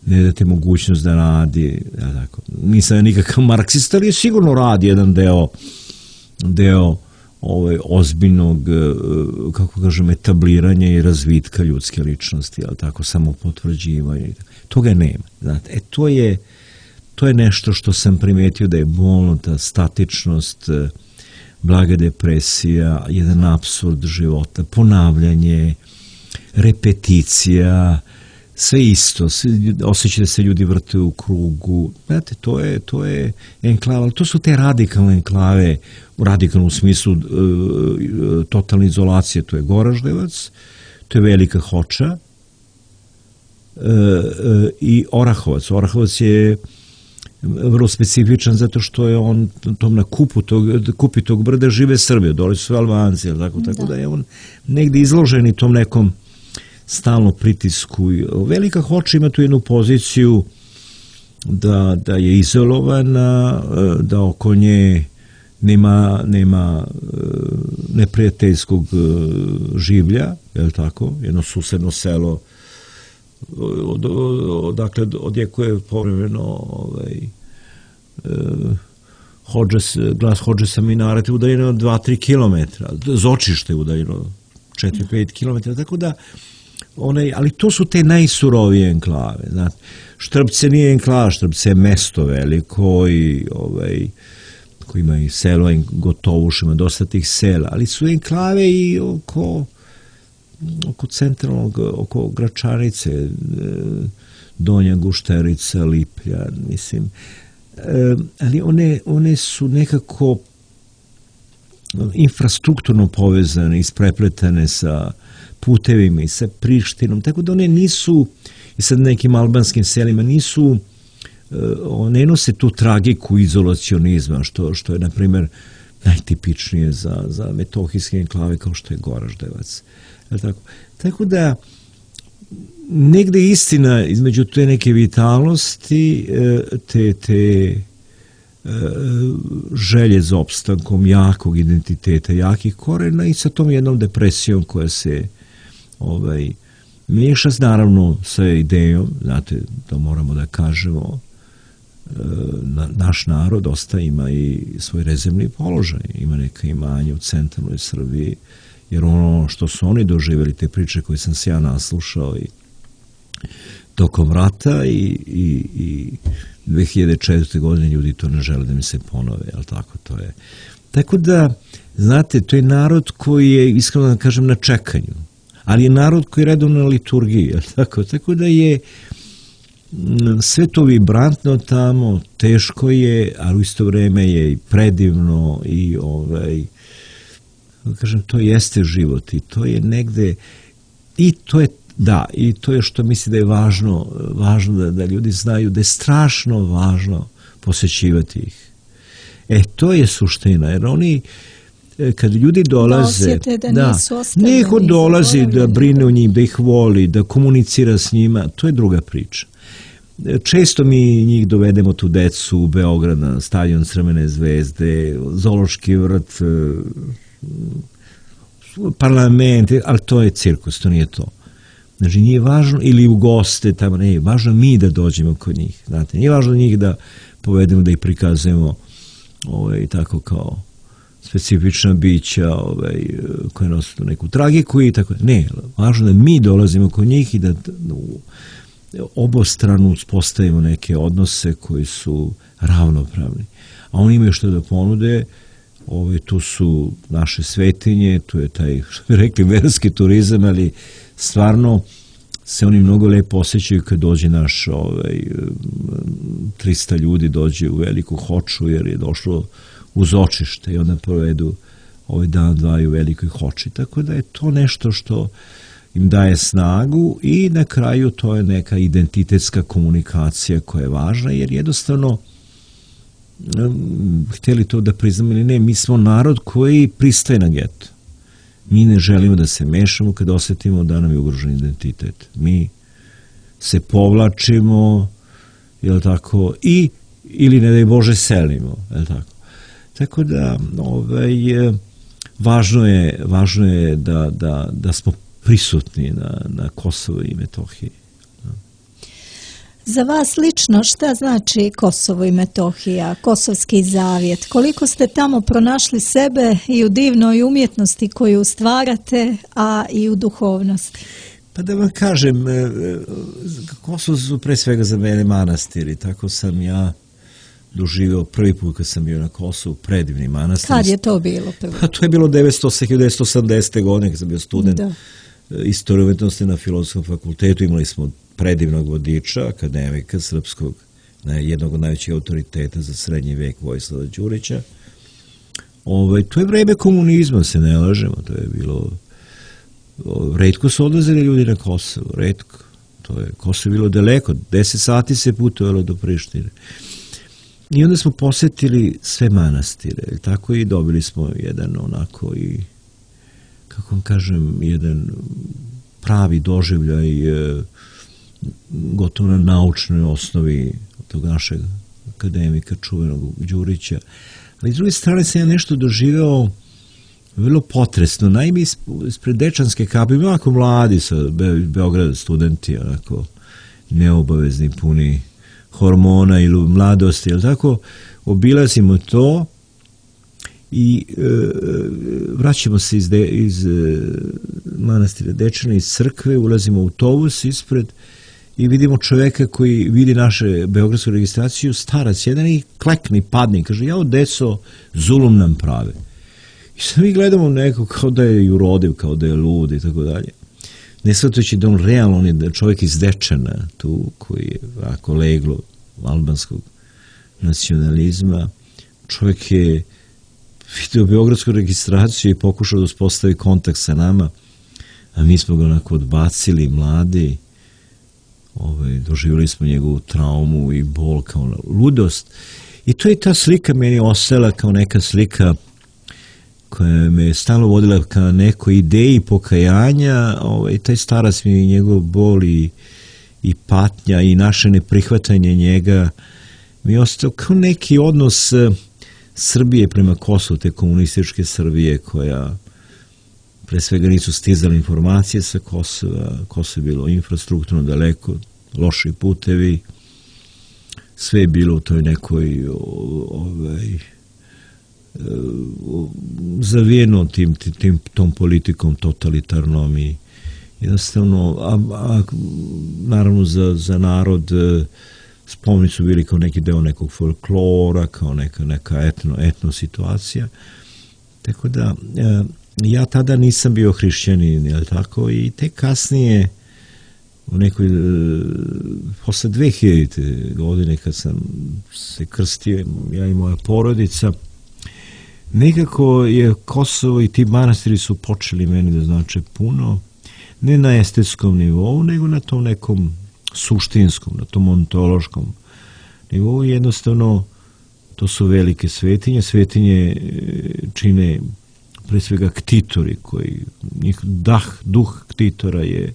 ne date mogućnost da radi, ja tako, nisam nikakav marksista, ali je sigurno radi jedan deo, deo ovaj, ozbiljnog, kako kažem, etabliranja i razvitka ljudske ličnosti, ali tako, samo potvrđivanja. Toga nema. Znate, e, to je, to je nešto što sam primetio da je bolno, ta statičnost, blaga depresija, jedan apsurd života, ponavljanje, repeticija, sve isto, osjeća da se ljudi vrte u krugu, znate, to je, to je enklava, ali to su te radikalne enklave, u radikalnom smislu e, totalne izolacije, to je Goraždevac, to je Velika Hoča e, e, i Orahovac. Orahovac je vrlo specifičan zato što je on tom na kupu tog, kupi tog brda žive Srbije, dole su Albanci, tako, tako da je on negde izložen i tom nekom stalno pritisku. Velika Hoča ima tu jednu poziciju da, da je izolovana, da oko nje nema, nema neprijateljskog življa, je li tako? Jedno susedno selo od, odakle odjekuje povremeno ovaj, Hodžes, glas Hodžesa Minareta udaljeno dva do tri kilometra, Zočište udaljeno četiri do pet kilometara, tako da One, ali to su te najsurovije enklave. Znate. Štrpce nije enklava, Štrpce je mesto veliko i ovaj, koji ima i selo, Gotovuš, ima dosta tih sela, ali su enklave i oko, oko centralnog, oko Gračanice, Donja Gušterica, Liplja, mislim. E, ali one, one su nekako infrastrukturno povezane, isprepletane sa putevima i sa Prištinom, tako da one nisu, i sad nekim albanskim selima, nisu, ne nose tu tragiku izolacionizma, što, što je, na primjer, najtipičnije za, za metohijske enklave kao što je Goraždevac. Tako? tako da, negde istina između te neke vitalnosti, te, te želje za opstankom jakog identiteta, jakih korena i sa tom jednom depresijom koja se ovaj, miješa naravno sa idejom, znate, to moramo da kažemo, na, naš narod dosta ima i svoj rezervni položaj, ima neka imanja u centralnoj Srbiji, jer ono što su oni doživjeli, te priče koje sam se ja naslušao i tokom rata i, i, i dve hiljade četvrte. godine ljudi to ne žele da mi se ponove, jel tako, to je. Tako da, znate, to je narod koji je, iskreno da kažem, na čekanju, ali je narod koji je redovno na liturgiji, jel tako, tako da je sve to vibrantno tamo, teško je, ali u isto vreme je i predivno i ovaj, kažem, to jeste život i to je negde, i to je Da, i to je što misli da je važno, važno da, da ljudi znaju da je strašno važno posjećivati ih. E, to je suština, jer oni, kad ljudi dolaze, da, da neko dolazi da brine o njim, da ih voli, da komunicira s njima, to je druga priča. Često mi njih dovedemo tu decu u Beograd na stadion Crvene zvezde, zoološki vrt, parlament, ali to je cirkus, to nije to. Znači, nije važno, ili u goste, tamo ne, važno mi da dođemo kod njih, znate, nije važno njih da povedemo, da ih prikazujemo ovaj, tako kao specifična bića ovaj, koje nose neku tragiku i tako, ne, važno da mi dolazimo kod njih i da u obostranu uspostavimo neke odnose koji su ravnopravni. A oni imaju što da ponude, ovaj, tu su naše svetinje, tu je taj, što bi rekli, verski turizam, ali stvarno se oni mnogo lepo osjećaju kad dođe naš ovaj, trista ljudi dođe u Veliku Hoču jer je došlo uz očište i onda provedu ovaj dan dva u Velikoj Hoči. Tako da je to nešto što im daje snagu i na kraju to je neka identitetska komunikacija koja je važna jer jednostavno htjeli to da priznamo ili ne, mi smo narod koji pristaje na geto. Mi ne želimo da se mešamo kad osjetimo da nam je ugrožen identitet. Mi se povlačimo, jel tako, i ili ne daj Bože selimo, jel tako. Tako da, ovaj, važno je, važno je da, da, da smo prisutni na, na Kosovo i Metohiji. Za vas lično šta znači Kosovo i Metohija, Kosovski zavjet? Koliko ste tamo pronašli sebe i u divnoj umjetnosti koju stvarate, a i u duhovnosti? Pa da vam kažem, Kosovo su pre svega za mene manastiri, tako sam ja doživio prvi put kad sam bio na Kosovu, predivni manastir. Kad je to bilo prvo? Pa to je bilo devetsto osamdesete. godine kad sam bio student da. Istorije umetnosti na Filozofskom fakultetu. Imali smo predivnog vodiča, akademika srpskog, jednog od najvećih autoriteta za srednji vek, Vojislava Đurića. Ovaj, to je vreme komunizma, se ne lažemo, to je bilo... Retko su odlazili ljudi na Kosovo, retko. To je, Kosovo je bilo daleko, deset sati se putovalo do Prištine. I onda smo posjetili sve manastire, tako i dobili smo jedan onako i, kako vam kažem, jedan pravi doživljaj gotovo na naučnoj osnovi tog našeg akademika čuvenog Đurića. Ali s druge strane sam ja nešto doživeo vrlo potresno. Naime, ispred Dečanske kape, onako mladi sa Beograda studenti, onako neobavezni, puni hormona ili mladosti, ili tako, obilazimo to i e, vraćamo se iz, de, iz e, manastira Dečana, iz crkve, ulazimo u autobus ispred i vidimo čoveka koji vidi naše beogradsku registraciju, starac jedan i klekni, padni, kaže, jao deco, zulum nam prave. I sad mi gledamo nekog kao da je urodiv, kao da je lud i tako dalje. Ne shvatajući da on realno, on je čovjek iz Dečana, tu, koji je ovako leglo albanskog nacionalizma. Čovjek je vidio beogradsku registraciju i pokušao da uspostavi kontakt sa nama, a mi smo ga onako odbacili, mladi. Ovaj, doživjeli smo njegovu traumu i bol kao ludost. I to je ta slika meni ostala kao neka slika koja me je stalno vodila ka nekoj ideji pokajanja. Ovaj, taj starac mi je njegov bol i, i patnja i naše neprihvatanje njega mi je ostao kao neki odnos Srbije prema Kosovu, te komunističke Srbije koja pre svega nisu stizale informacije sa Kosova, Kosovo je bilo infrastrukturno daleko, loši putevi, sve je bilo u toj nekoj ovaj, zavijeno tim, tim, tom politikom totalitarnom i jednostavno, a, a naravno za, za narod spomenici su bili kao neki deo nekog folklora, kao neka, neka etno, etno situacija. Tako da, ja tada nisam bio hrišćanin, jel tako, i tek kasnije, u nekoj, posle dve hiljadite. godine kad sam se krstio, ja i moja porodica, nekako je Kosovo i ti manastiri su počeli meni da znače puno, ne na estetskom nivou, nego na tom nekom suštinskom, na tom ontološkom nivou. Jednostavno, to su velike svetinje. Svetinje čine pre svega ktitori, koji, njih dah, duh ktitora je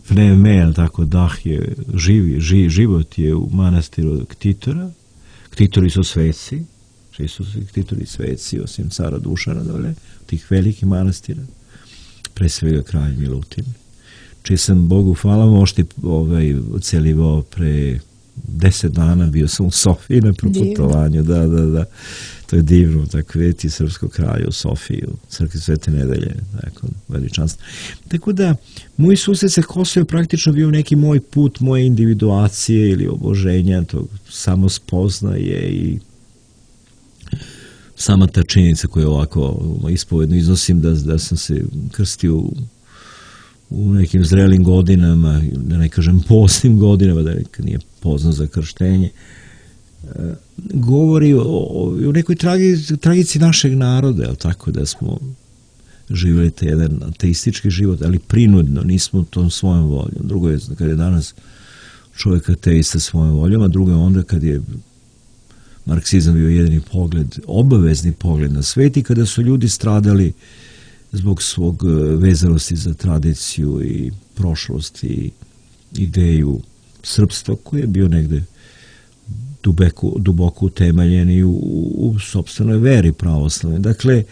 pneume, tako dah je živi, živ, život je u manastiru ktitora. Ktitori su sveci, svi su ktitori sveci, osim cara Dušana dole, tih velikih manastira, pre svega kralj Milutin, čiji sam, Bogu hvala, možda ovaj, ocelivao pre deset dana, bio sam u Sofiji na proputovanju, da, da, da, to je divno, tako vidjeti srpskog kralja u Sofiji, u crkvi Svete Nedelje, tako, veličanstvo. Tako da, moj susret sa Kosovo je praktično bio neki moj put, moje individuacije ili oboženja, tog samospoznaje i sama ta činjenica koju ovako ispovedno iznosim, da, da sam se krstio u, u nekim zrelim godinama, da ne kažem poznim godinama, da nekad nije pozno za krštenje, govori o, o nekoj tragici, tragici našeg naroda, jel tako, da smo živjeli te jedan ateistički život, ali prinudno, nismo tom svojom voljom. Drugo je kad je danas čovjek ateista svojom voljom, a drugo je onda kad je marksizam bio jedini pogled, obavezni pogled na svet i kada su ljudi stradali zbog svog vezanosti za tradiciju i prošlost i ideju srpstva koji je bio negde duboko, duboko utemeljen i u, u sopstvenoj veri pravoslavne. Dakle,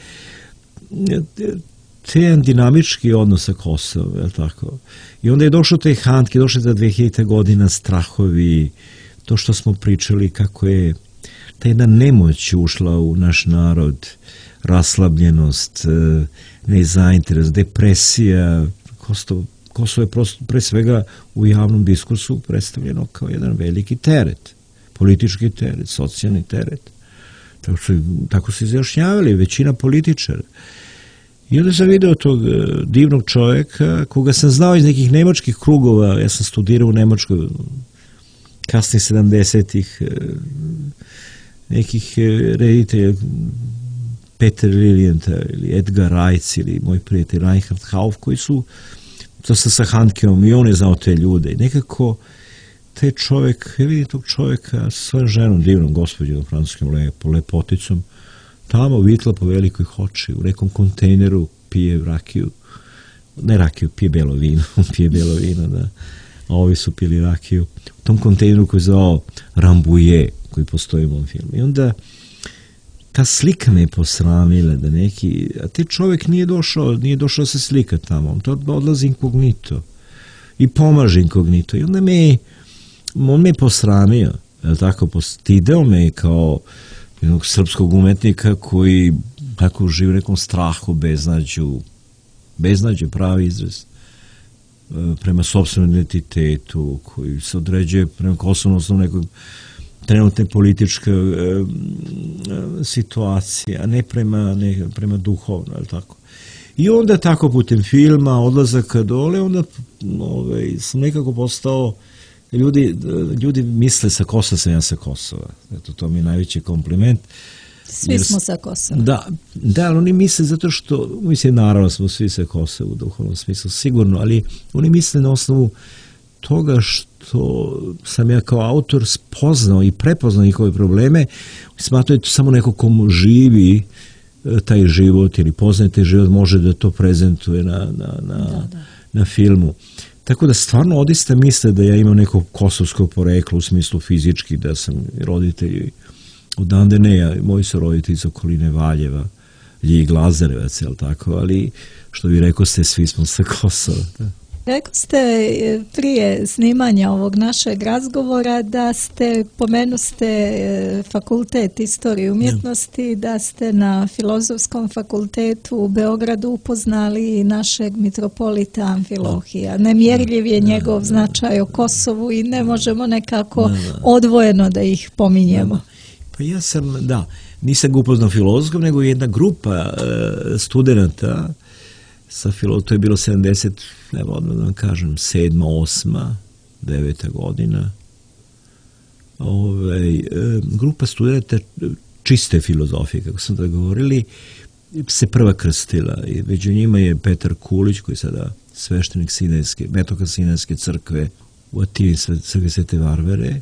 te jedan dinamički odnos sa Kosovom, je tako? I onda je došao taj Handke, došao je za dve hiljadite godina, strahovi, to što smo pričali, kako je ta jedna nemoć ušla u naš narod, raslabljenost, nezainteres, depresija. Kosovo, Kosovo je prosto, pre svega u javnom diskursu predstavljeno kao jedan veliki teret, politički teret, socijalni teret. Tako, su, tako su izjašnjavali većina političara. I onda sam video tog divnog čovjeka, koga sam znao iz nekih nemačkih krugova, ja sam studirao u Nemačkoj kasnih sedamdesetih, nekih reditelja, Peter Liljenta ili Edgar Reitz ili moj prijatelj Reinhard Hauff, koji su, to sam sa Handkeom i on je znao te ljude. I nekako taj čovjek, ja vidim tog čovjeka sa svojom ženom, divnom gospođom, francuskim lepo, lepoticom, tamo vitla po velikoj hoči, u nekom kontejneru pije rakiju, ne rakiju, pije belo vino, pije belo vino, da, a ovi su pili rakiju, u tom kontejneru koji je zvao Rambouillet, koji postoji u mom filmu. I onda ta slika me je posramila da neki, a te čovjek nije došao, nije došao se slika tamo, on to odlazi inkognito i pomaže inkognito. I onda me, on me je posramio, tako, postideo me kao jednog srpskog umetnika koji tako živi u nekom strahu, beznađu, beznađu, pravi izraz, prema sopstvenom identitetu, koji se određuje prema Kosovu na nekog trenutne političke e, situacije, a ne prema, ne, prema duhovno, ali tako. I onda tako putem filma, odlazaka dole, onda ove, sam nekako postao, ljudi, ljudi misle sa Kosova, sam ja sa Kosova. Eto, to mi je najveći kompliment. Svi jer, smo sa Kosova. Da, da, ali oni misle zato što, mislim, naravno smo svi sa Kosova u duhovnom smislu, sigurno, ali oni misle na osnovu toga što sam ja kao autor spoznao i prepoznao njihove probleme, smatraju to samo neko komu živi taj život ili poznaje taj život, može da to prezentuje na, na, na, da, da. na filmu. Tako da stvarno odista misle da ja imam neko kosovsko poreklo u smislu fizički, da sam roditelji odande ne, ja, moji su roditelji iz okoline Valjeva, Ljig Lazarevac, jel tako, ali što bi rekao ste, svi smo sa Kosova. Da. Rekao ste prije snimanja ovog našeg razgovora da ste, pomenu ste fakultet istorije i umjetnosti, da ste na Filozofskom fakultetu u Beogradu upoznali našeg mitropolita Amfilohija. Nemjerljiv je njegov značaj o Kosovu i ne možemo nekako odvojeno da ih pominjemo. Pa ja sam, da, nisam ga upoznao filozofskom, nego jedna grupa studenta sa filo, to je bilo sedamdeset, evo odmah da vam kažem, sedma, osma, deveta godina. Ove, grupa studenta čiste filozofije, kako smo da govorili, se prva krstila. I među njima je Petar Kulić, koji je sada sveštenik Sinajske, metoka Sinajske crkve u Atini, crkve Svete Varvare.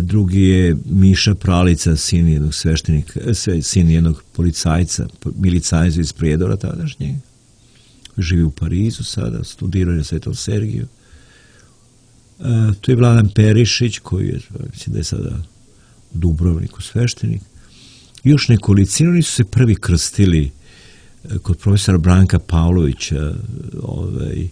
Drugi je Miša Pralica, sin jednog sveštenika, sin jednog policajca, milicajca iz Prijedora tadašnjeg. Živi u Parizu sada, studirao je na Svetom Sergiju. E, tu je Vladan Perišić, koji je, mislim da je sada u Dubrovniku sveštenik. I još nekolicino, oni su se prvi krstili kod profesora Branka Pavlovića. Ovaj,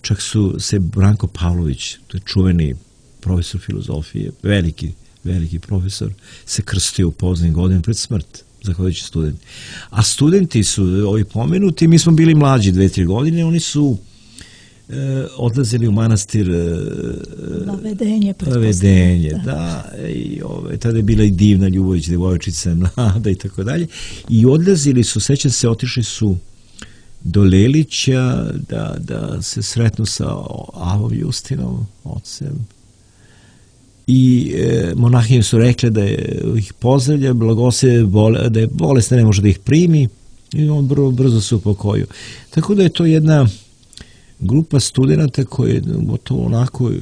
čak su se Branko Pavlović, to je čuveni profesor filozofije, veliki, veliki profesor, se krstio u poznim godinama pred smrt, zahvaljujući studenti. A studenti su ovi pomenuti, mi smo bili mlađi dve, tri godine, oni su e, odlazili u manastir e, Lavedenje, Lavedenje, da. da i ove, tada je bila i divna Ljubović, devojčica mlada i tako dalje. I odlazili su, sećam se, otišli su do Lelića da, da se sretnu sa Avom Justinom, ocem. I e, monahinje su rekle da je, ih pozdravlja, blagose, bole, da je bolesna, ne može da ih primi i on brzo, brzo se upokojio. Tako da je to jedna grupa studenta koji je gotovo onako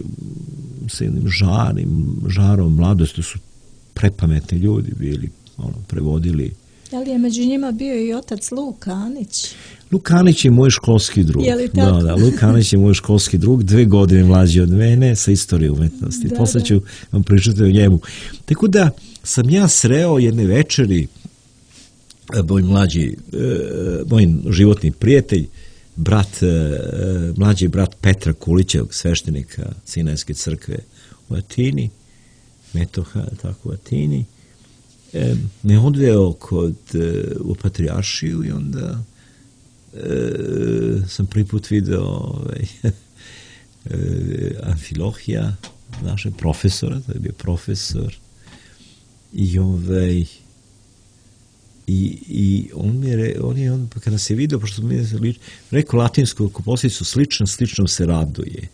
sa jednim žarim, žarom mladosti, su prepametni ljudi bili, ono, prevodili Da li je među njima bio i otac Luka Anić? Luka Anić je moj školski drug. Je li tako? Da, da, Luka Anić je moj školski drug, dve godine mlađi od mene sa istorije umetnosti. Da, Posle da. ću vam pričati o njemu. Tako da sam ja sreo jedne večeri, moj mlađi, moj životni prijatelj, brat, mlađi brat Petra Kulića, sveštenika Sinajske crkve u Atini, Metoha, tako u Atini, me odveo kod, u Patrijaršiju i onda e, sam prvi put video ovaj, e, Amfilohija, našeg profesora, to je bio profesor, i ovaj, i, i on mi je, on je, on, kada se vidio, pošto mi je rekao latinsku poslovicu, slično, slično se raduje.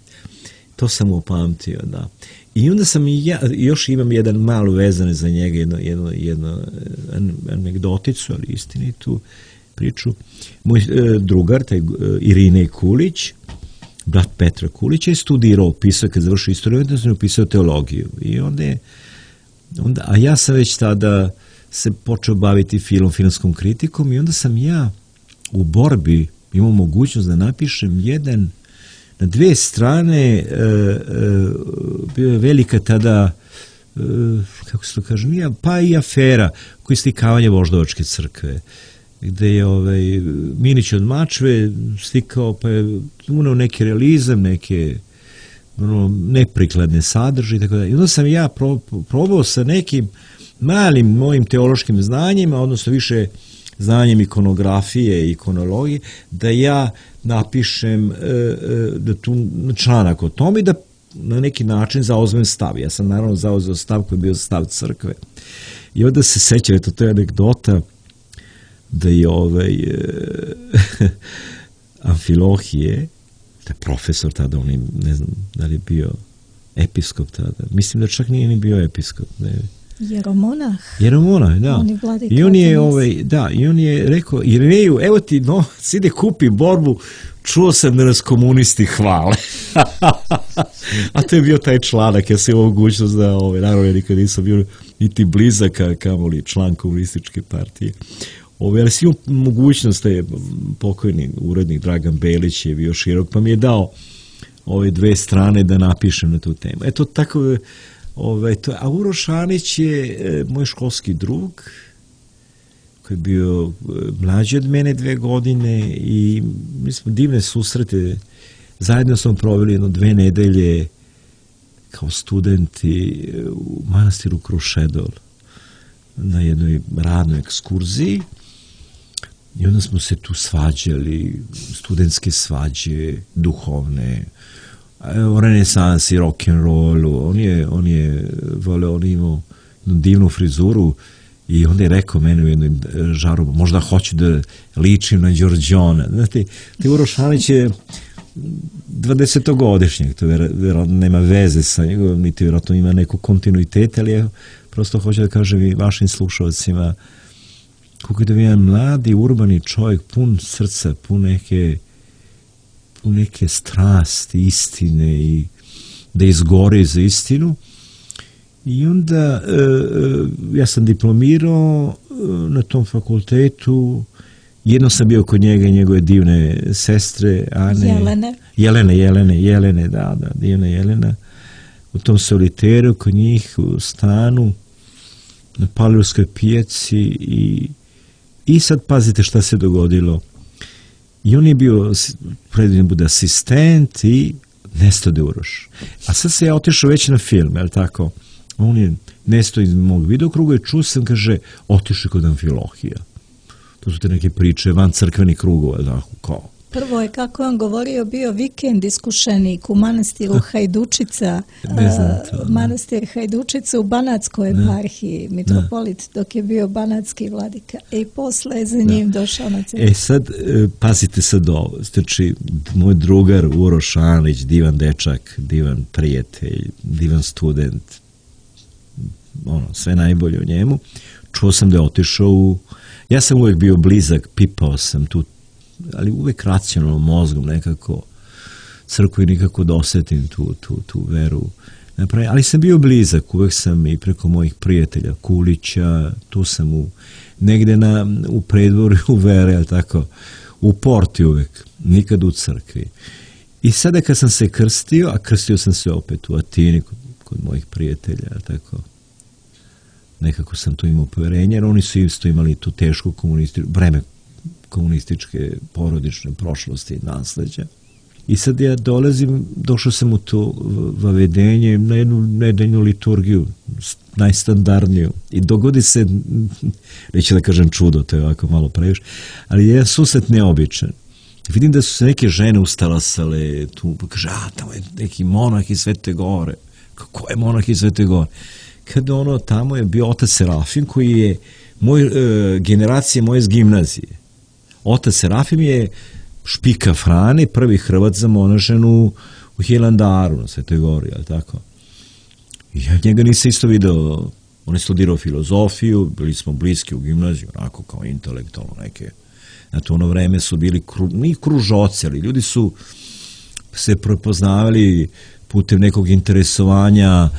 To sam upamtio, da. I onda sam i ja, još imam jedan malo vezane za njega, jedno, jedno, jedno anegdoticu, ali istinitu priču. Moj e, drugar, taj e, Irine Kulić, brat Petra Kulića, je studirao, pisao, kad završio istoriju, onda sam upisao teologiju. I onda je, onda, a ja sam već tada se počeo baviti film, filmskom kritikom i onda sam ja u borbi imao mogućnost da napišem jedan na dve strane, e, e, bio je velika tada, e, kako se to kaže, nije, pa i afera koji slikavanje Voždovačke crkve, gde je ovaj, Minić od Mačve slikao, pa je uneo neki realizam, neke ono, neprikladne sadržaje, tako da. I onda sam ja pro, probao sa nekim malim mojim teološkim znanjima, odnosno više znanjem ikonografije i ikonologije, da ja napišem da tu članak o tome i da na neki način zauzmem stav. Ja sam naravno zauzeo stav koji je bio stav crkve. I onda se sećam, eto, to je anegdota, da je ovaj Amfilohije, da je profesor tada, on je, ne znam da li je bio episkop tada, mislim da čak nije ni bio episkop, ne. Jeromonah. Jeromonah, da. On je vladika. I on je, ovaj, da, i on je rekao, Irineju, evo ti novac, ide kupi borbu, čuo sam da nas komunisti hvale. A to je bio taj članak, ja sam imao mogućnost da, ovaj, naravno ja nikad nisam bio niti blizak, kamoli član komunističke partije. Ove, ali si imao mogućnost, da je pokojni urednik Dragan Belić je bio širok, pa mi je dao ove dve strane da napišem na tu temu. Eto, tako. Ove, to, a Uroš Anić je e, moj školski drug, koji je bio e, mlađi od mene dve godine i mi smo divne susrete, zajedno smo proveli jedno dve nedelje kao studenti u manastiru Krušedol na jednoj radnoj ekskurziji i onda smo se tu svađali, studentske svađe, duhovne, o renesansi, rock'n'rollu, on je, on je voleo, on imao jednu divnu frizuru i onda je rekao meni u jednoj žaru, možda hoću da ličim na Đorđona. Znate, te Uroš Anić je dvadesetogodišnjak, to vjerojatno nema veze sa njegovom, niti vjerojatno ima neku kontinuitet, ali je, prosto hoću da kažem i vašim slušalcima, kako je da jedan mladi, urbani čovjek, pun srca, pun neke u neke strasti, istine i da izgori za istinu. I onda e, ja sam diplomirao na tom fakultetu, jedno sam bio kod njega i njegove divne sestre Ane. Jelene. Jelene, Jelene, Jelene, da, da, divna Jelena. U tom soliteru kod njih u stanu na Palilskoj pijaci i, i sad pazite šta se dogodilo. I on je bio predviđen bude asistent i nestade Uroš. A sad se ja otišao već na film, je li tako? On je nestao iz mog videokruga i čuo sam, kaže, otišao kod Amfilohija. To su te neke priče van crkvenih krugova, tako, kao. Prvo je, kako je on govorio, bio vikend iskušenik u manastiru Hajdučica, Ne znam to, uh, manastir Hajdučica u Banatskoj eparhiji, mitropolit, dok je bio banatski vladika. I posle je za njim došao na crkvu. E sad, pazite sad ovo, znači, moj drugar Uroš Anić, divan dečak, divan prijatelj, divan student, ono, sve najbolje o njemu, čuo sam da je otišao u, ja sam uvijek bio blizak, pipao sam tu, ali uvijek racionalno mozgom nekako crkvu i nikako da osetim tu, tu, tu veru napravio, ali sam bio blizak, uvek sam i preko mojih prijatelja, Kulića, tu sam u, negde na, u predvorju u Vere, ali tako, u porti uvek, nikad u crkvi. I sada kad sam se krstio, a krstio sam se opet u Atini, kod, kod mojih prijatelja, tako, nekako sam tu imao poverenje, jer oni su isto imali tu tešku komunističku, breme komunističke porodične prošlosti i nasleđa. I sad ja dolazim, došao sam u to vavedenje na jednu nedeljnu liturgiju, najstandardniju. I dogodi se, neću da kažem čudo, to je ovako malo previše, ali je jedan susret neobičan. Vidim da su se neke žene ustalasale, tu pa kaže, a tamo je neki monah iz Svete Gore. Kako je monah iz Svete Gore? Kada ono, tamo je bio otac Serafim, koji je moj, e, generacija moje z gimnazije. Otac Serafim je Špika Frane, prvi Hrvat zamonašen u, u Hilandaru, na Svetoj Gori, ali tako. I ja njega nisam isto video, on je studirao filozofiju, bili smo bliski u gimnaziju, onako kao intelektualno neke. Na to ono vreme su bili kru, ni kružoci, ali ljudi su se prepoznavali putem nekog interesovanja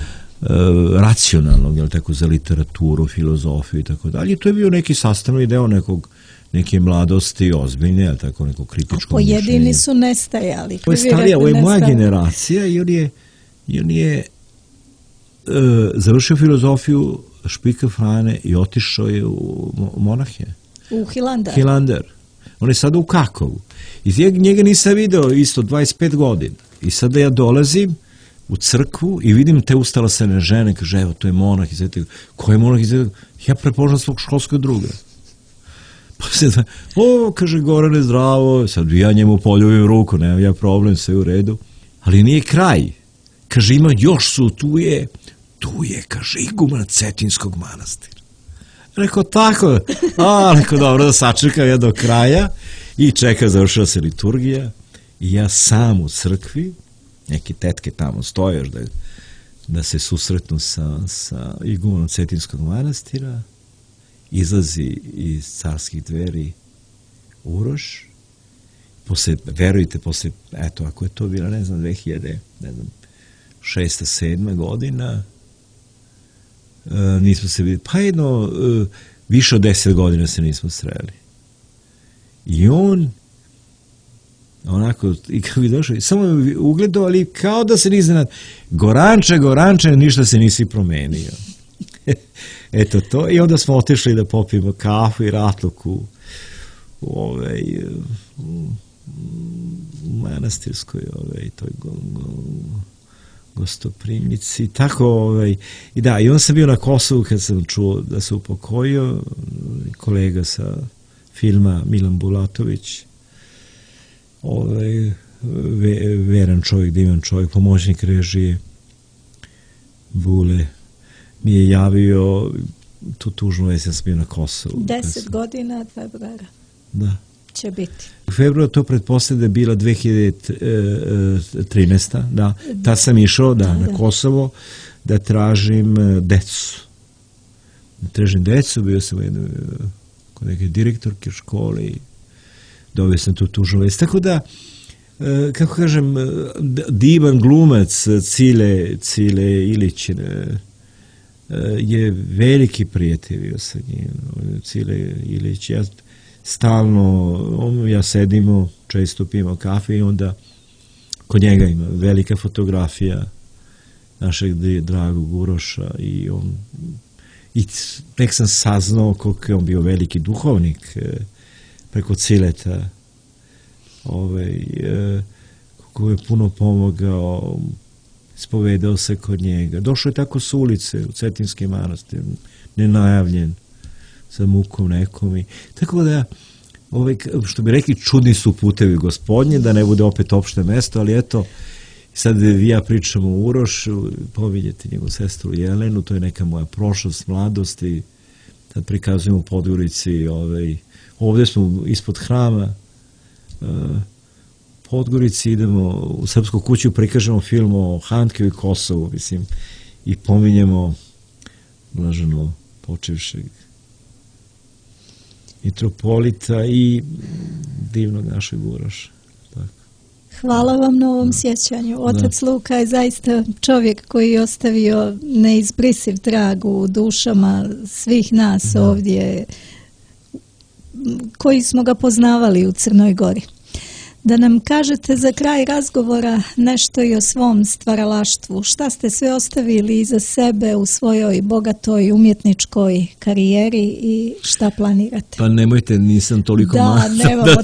e, racionalnog, jel tako, za literaturu, filozofiju i tako dalje. To je bio neki sastavni deo nekog neke mladosti, ozbiljne, ali tako neko kritičko mišljenje. A pojedini su nestajali. Ovo je starija, ovo je moja generacija i on je, i on je uh, završio filozofiju Špika Frane i otišao je u monahe. U Hilandar. Hilandar. On je sada u Kakovu. I njega nisam video isto dvadeset pet godina. I sada ja dolazim u crkvu i vidim te ustalasene žene, kaže, evo, to je monah iz Svetog. Ko je monah iz Svetog? Ja prepoznam svog školskog druga. Pa se da, o, kaže, Gorane, zdravo, sad ja njemu poljubim ruku, nemam ja problem, sve u redu. Ali nije kraj. Kaže, ima, još su, tu je, tu je, kaže, iguman Cetinskog manastira. Rekao, tako, a, rekao, dobro, da sačekam ja do kraja i čeka, završila se liturgija i ja sam u crkvi, neki tetke tamo stoje još da, da se susretnu sa, sa igumanom Cetinskog manastira. Izlazi iz carskih dveri Uroš, posle, verujte, posle, eto, ako je to bila, ne znam, dve hiljade šesta sedma godina, e, nismo se vidjeli, pa jedno, e, više od deset godina se nismo sreli. I on, onako, i kako bi došao, samo je ugledao, ali kao da se nisi nad, Goranče, Goranče, ništa se nisi promenio. Eto to, i onda smo otišli da popijemo kafu i ratluk u, u, ovaj, u, u manastirskoj ovaj, toj go, go, gostoprimnici, tako, ovaj, i da, i on sam bio na Kosovu kad sam čuo da se upokojio, kolega sa filma Milan Bulatović, ovaj, ve, veran čovjek, divan čovjek, pomoćnik režije, Bule, mi je javio tu tužnu vest, ja sam bio na Kosovu. Deset godina februara. Da. Će biti. U februaru to pretpostavlja da je bila dve hiljade trinaesta. Da. Tad sam išao da, da, na Kosovo da tražim decu. Da tražim decu, bio sam jedno, kod neke direktorke škole i dobio sam tu tužnu vest. Tako da, kako kažem, divan glumac Cile, Cile Ilić je veliki prijatelj bio sa njim. Cile Ilić, ja stalno, on, ja sedimo, često pijemo kafe i onda kod njega ima velika fotografija našeg dragog Uroša i on, i tek sam saznao koliko je on bio veliki duhovnik preko Cileta, ovaj, koliko je puno pomogao, ispovedao se kod njega. Došao je tako s ulice u Cetinski manastir, nenajavljen, sa mukom nekom. I, tako da, ovaj, što bi rekli, čudni su putevi Gospodnje, da ne bude opet opšte mesto, ali eto, sad ja pričam o Urošu, povidjeti njegovu sestru Jelenu, to je neka moja prošlost, mladost i sad prikazujem u Podgorici, ovaj, ovdje smo ispod hrama, uh, Podgorici idemo u Srpsku kuću, prikažemo film o Handkeu i Kosovu, mislim, i pominjemo blaženo počevšeg mitropolita i divnog našeg Uroša. Tako. Hvala vam na ovom sjećanju. Otac da. Luka je zaista čovjek koji je ostavio neizbrisiv trag u dušama svih nas da. Ovdje koji smo ga poznavali u Crnoj Gori. Da nam kažete za kraj razgovora nešto i o svom stvaralaštvu. Šta ste sve ostavili iza sebe u svojoj bogatoj umjetničkoj karijeri i šta planirate? Pa nemojte, nisam toliko da, mali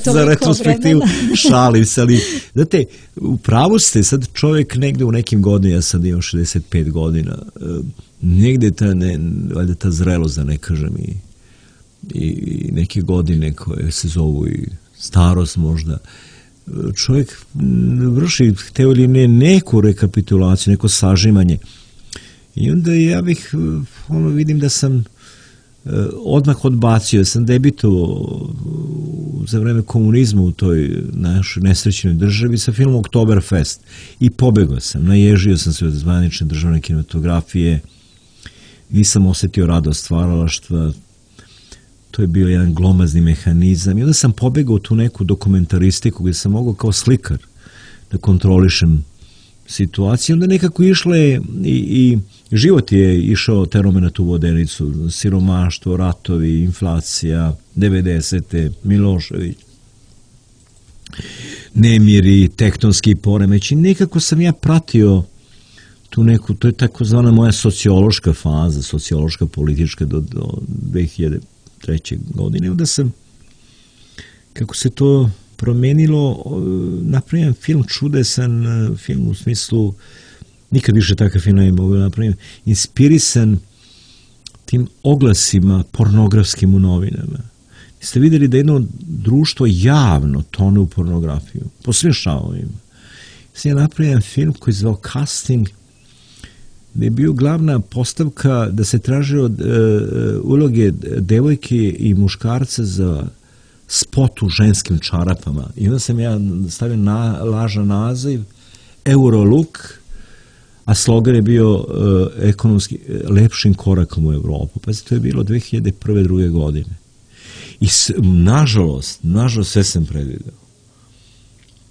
da za retrospektivu šalim se, ali znate, u pravu ste, sad čovjek negdje u nekim godinama, ja sad imam šezdeset pet godina, negdje ta, ne, valjda ta zrelost, da ne kažem, i, i neke godine koje se zovu i starost možda, čovjek vrši, hteo ili ne, neku rekapitulaciju, neko sažimanje. I onda ja bih, ono, vidim da sam odmah odbacio, da sam debitovao za vreme komunizma u toj našoj nesrećnoj državi sa filmom Oktoberfest. I pobegao sam, naježio sam se od zvanične državne kinematografije, nisam osjetio radost stvaralaštva, to je bio jedan glomazni mehanizam i onda sam pobegao u tu neku dokumentaristiku gdje sam mogao kao slikar da kontrolišem situaciju. Onda nekako išle i, i život je išao terome na tu vodenicu, siromaštvo, ratovi, inflacija, devedesete, Milošević, nemiri, tektonski poremeći. Nekako sam ja pratio tu neku, to je takozvana moja sociološka faza, sociološka politička do, do dve hiljade treće godine. Onda sam, kako se to promenilo, napravim film čudesan, film u smislu, nikad više takav film ne mogu napraviti, inspirisan tim oglasima pornografskim u novinama. Ste vidjeli da jedno društvo javno tone u pornografiju, po svim šavovima. Sam ja napravim film koji je zvao Casting, gdje je bio glavna postavka da se traže od e, uloge devojke i muškarca za spot u ženskim čarapama. I onda sam ja stavio na, lažan naziv Eurolook, a slogan je bio e, ekonomski lepšim korakom u Evropu. Pa to je bilo dve hiljade prve druge godine. I s, nažalost, nažalost sve sam predvideo.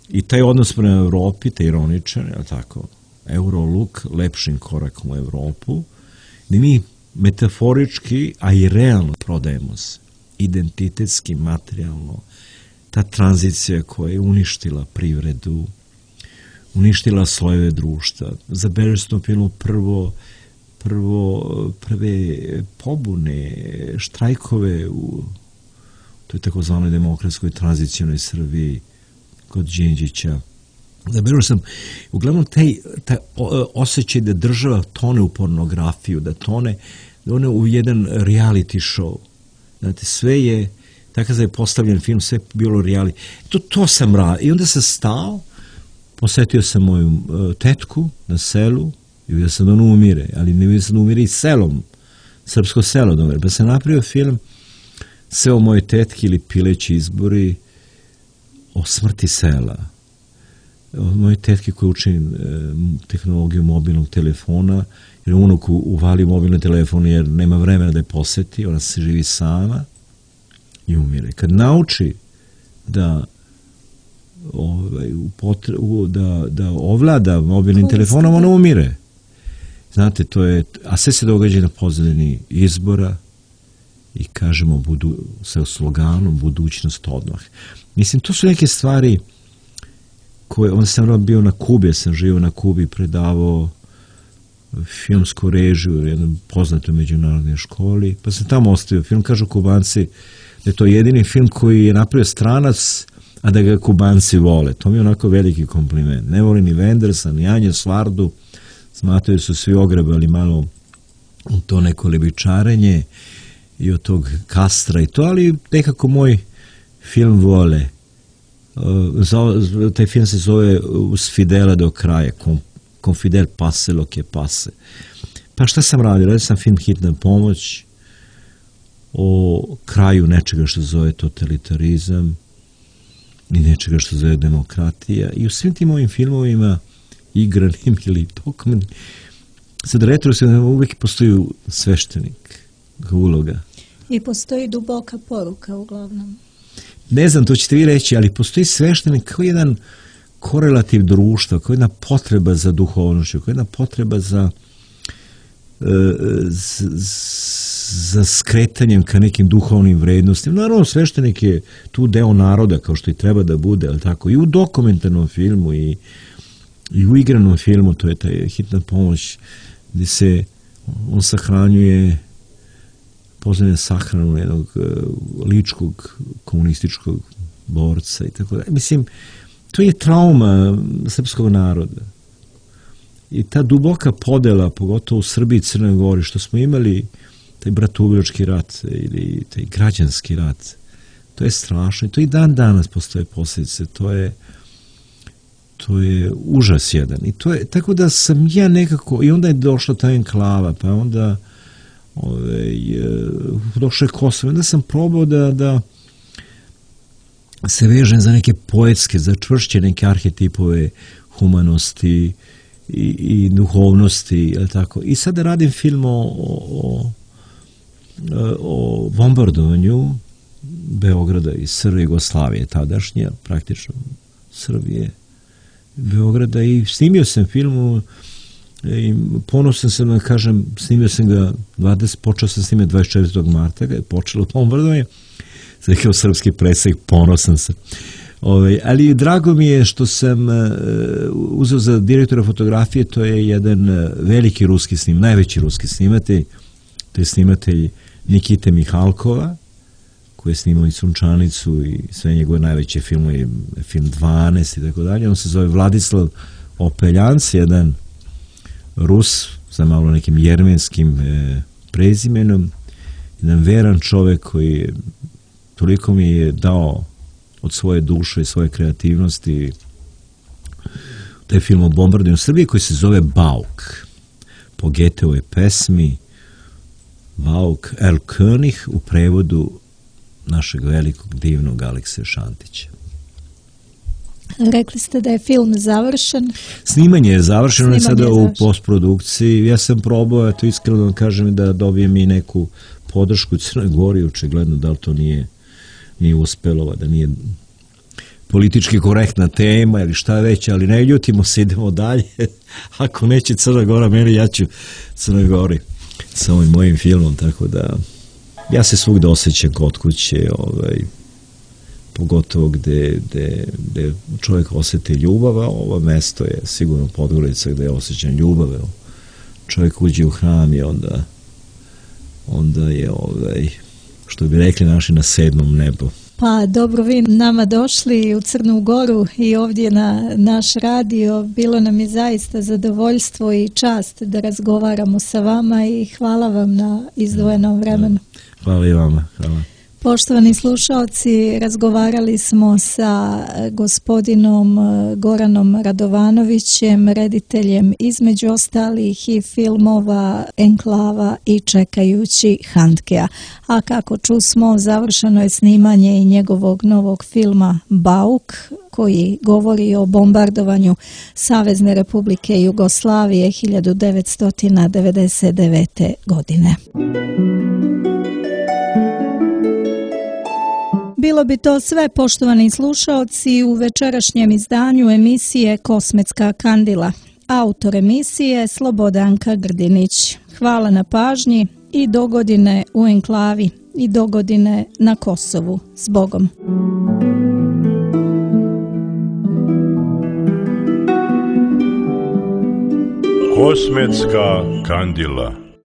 I taj odnos prema Evropi, taj ironičan, je li tako? Eurolook, lepšim korakom u Evropu, gdje mi metaforički, a i realno prodajemo se. Identitetski, materijalno. Ta tranzicija koja je uništila privredu, uništila slojeve društva. Zabeležili smo filmu prvo, prvo, prve pobune, štrajkove u toj takozvanoj demokratskoj tranzicionoj Srbiji kod Đinđića. Zabeležio sam, uglavnom, taj, taj osjećaj da država tone u pornografiju, da tone, da one u jedan reality show. Znate, sve je, tako da je postavljen film, sve je bilo reality. To, to sam radio. I onda sam stao, posjetio sam moju uh, tetku na selu i vidio sam da ona umire, ali ne vidio sam da umire i selom, srpsko selo da umire. Pa sam napravio film sve o moje tetki ili pileći izbori o smrti sela. Od moje tetke koje uči e, tehnologiju mobilnog telefona, jer unuk uvali mobilni telefon jer nema vremena da je posjeti, ona se živi sama i umire. Kad nauči da ovaj, upotre, u, da, da ovlada mobilnim telefonom, ona umire. Znate, to je, a sve se događa na pozadini izbora i kažemo budu, sa sloganom budućnost odmah. Mislim, to su neke stvari koje, onda sam bio na Kubi, ja sam živio na Kubi, predavao filmsku režiju u jednoj poznatoj međunarodnoj školi, pa sam tamo ostavio film. Kažu Kubanci da je to jedini film koji je napravio stranac, a da ga Kubanci vole. To mi je onako veliki kompliment. Ne voli ni Wendersa, ni Anje Svardu, smatraju su svi ogrebali malo u to neko lebičarenje i od tog Kastra i to, ali nekako moj film vole. Uh, taj film se zove Uz Fidela do kraja, con, con Fidel pase lo que pase. Pa šta sam radio? Radio sam film Hitna pomoć o kraju nečega što zove totalitarizam i nečega što zove demokratija. I u svim tim mojim filmovima, igranim ili dokumentarnim, sad retrospektivno uvijek postoji sveštenik uloga. I postoji duboka poruka uglavnom. Ne znam, to ćete vi reći, ali postoji sveštenik kao jedan korelativ društva, koja je jedna potreba za duhovnošću, koja je jedna potreba za za skretanjem ka nekim duhovnim vrednostima. Naravno, sveštenik je tu deo naroda, kao što i treba da bude, ali tako, i u dokumentarnom filmu i, i u igranom filmu, to je ta Hitna pomoć, gdje se on sahranjuje, poznaje sahranu jednog uh, ličkog komunističkog borca i tako da. Mislim, to je trauma srpskog naroda. I ta duboka podela, pogotovo u Srbiji i Crnoj Gori, što smo imali taj bratoubilački rat ili taj građanski rat, to je strašno. I to i dan danas postoje posljedice. To je, to je užas jedan. I to je, tako da sam ja nekako, i onda je došla ta enklava, pa onda ove, došlo je Kosovo. Onda sam probao da, da se vežem za neke poetske, za čvršće neke arhetipove humanosti i, i duhovnosti, tako. I sada radim film o, o, o bombardovanju Beograda i Srbije, Jugoslavije tadašnje, praktično Srbije, Beograda, i snimio sam film i ponosan sam da kažem, snimio sam ga dvadeset, počeo sam snimati dvadeset četvrtog marta, kada je počelo bombardovanje, sad kao srpski predsjednik, ponosan sam. Ove, ali drago mi je što sam uh, uzeo za direktora fotografije, to je jedan uh, veliki ruski snim, najveći ruski snimatelj, to je snimatelj Nikite Mihalkova, koji je snimao i Sunčanicu i sve njegove najveće filmove, film dvanaest i tako dalje. On se zove Vladislav Opeljanc, jedan Rus sa malo nekim jermenskim e, prezimenom, jedan veran čovek koji je, toliko mi je dao od svoje duše i svoje kreativnosti taj film o bombardovanju Srbije koji se zove Bauk, po Goetheove pesmi Bauk El König, u prevodu našeg velikog divnog Alekseja Šantića. Rekli ste da je film završen. Snimanje je završeno, on je sada u postprodukciji. Ja sam probao, to iskreno kažem, da dobijem i neku podršku u Crnoj Gori, očigledno da li to nije, nije uspelo, da nije politički korektna tema ili šta već, ali ne ljutimo se, idemo dalje. Ako neće Crna Gora meni, ja ću Crnoj Gori sa ovim mojim filmom, tako da ja se svugde osjećam kod kuće, ovaj, pogotovo gde, gde, gde čovjek osjeti ljubav, a ovo mesto je sigurno Podgorica gde je osjećam ljubav. Čovjek uđe u hram i onda, onda je, ovaj, što bi rekli naši, na sedmom nebu. Pa dobro, vi nama došli u Crnu Goru i ovdje na naš radio. Bilo nam je zaista zadovoljstvo i čast da razgovaramo sa vama i hvala vam na izdvojenom vremenu. Hvala i vama. Hvala. Poštovani slušalci, razgovarali smo sa gospodinom Goranom Radovanovićem, rediteljem između ostalih i filmova Enklava i Čekajući Handkea. A kako čusmo, završeno je snimanje i njegovog novog filma Bauk, koji govori o bombardovanju Savezne Republike Jugoslavije hiljadu devetsto devedeset devete. godine. Bilo bi to sve, poštovani slušaoci, u večerašnjem izdanju emisije Kosmetska kandila. Autor emisije Slobodanka Grdinić. Hvala na pažnji i dogodine u enklavi i dogodine na Kosovu. S Bogom. Kosmetska kandila.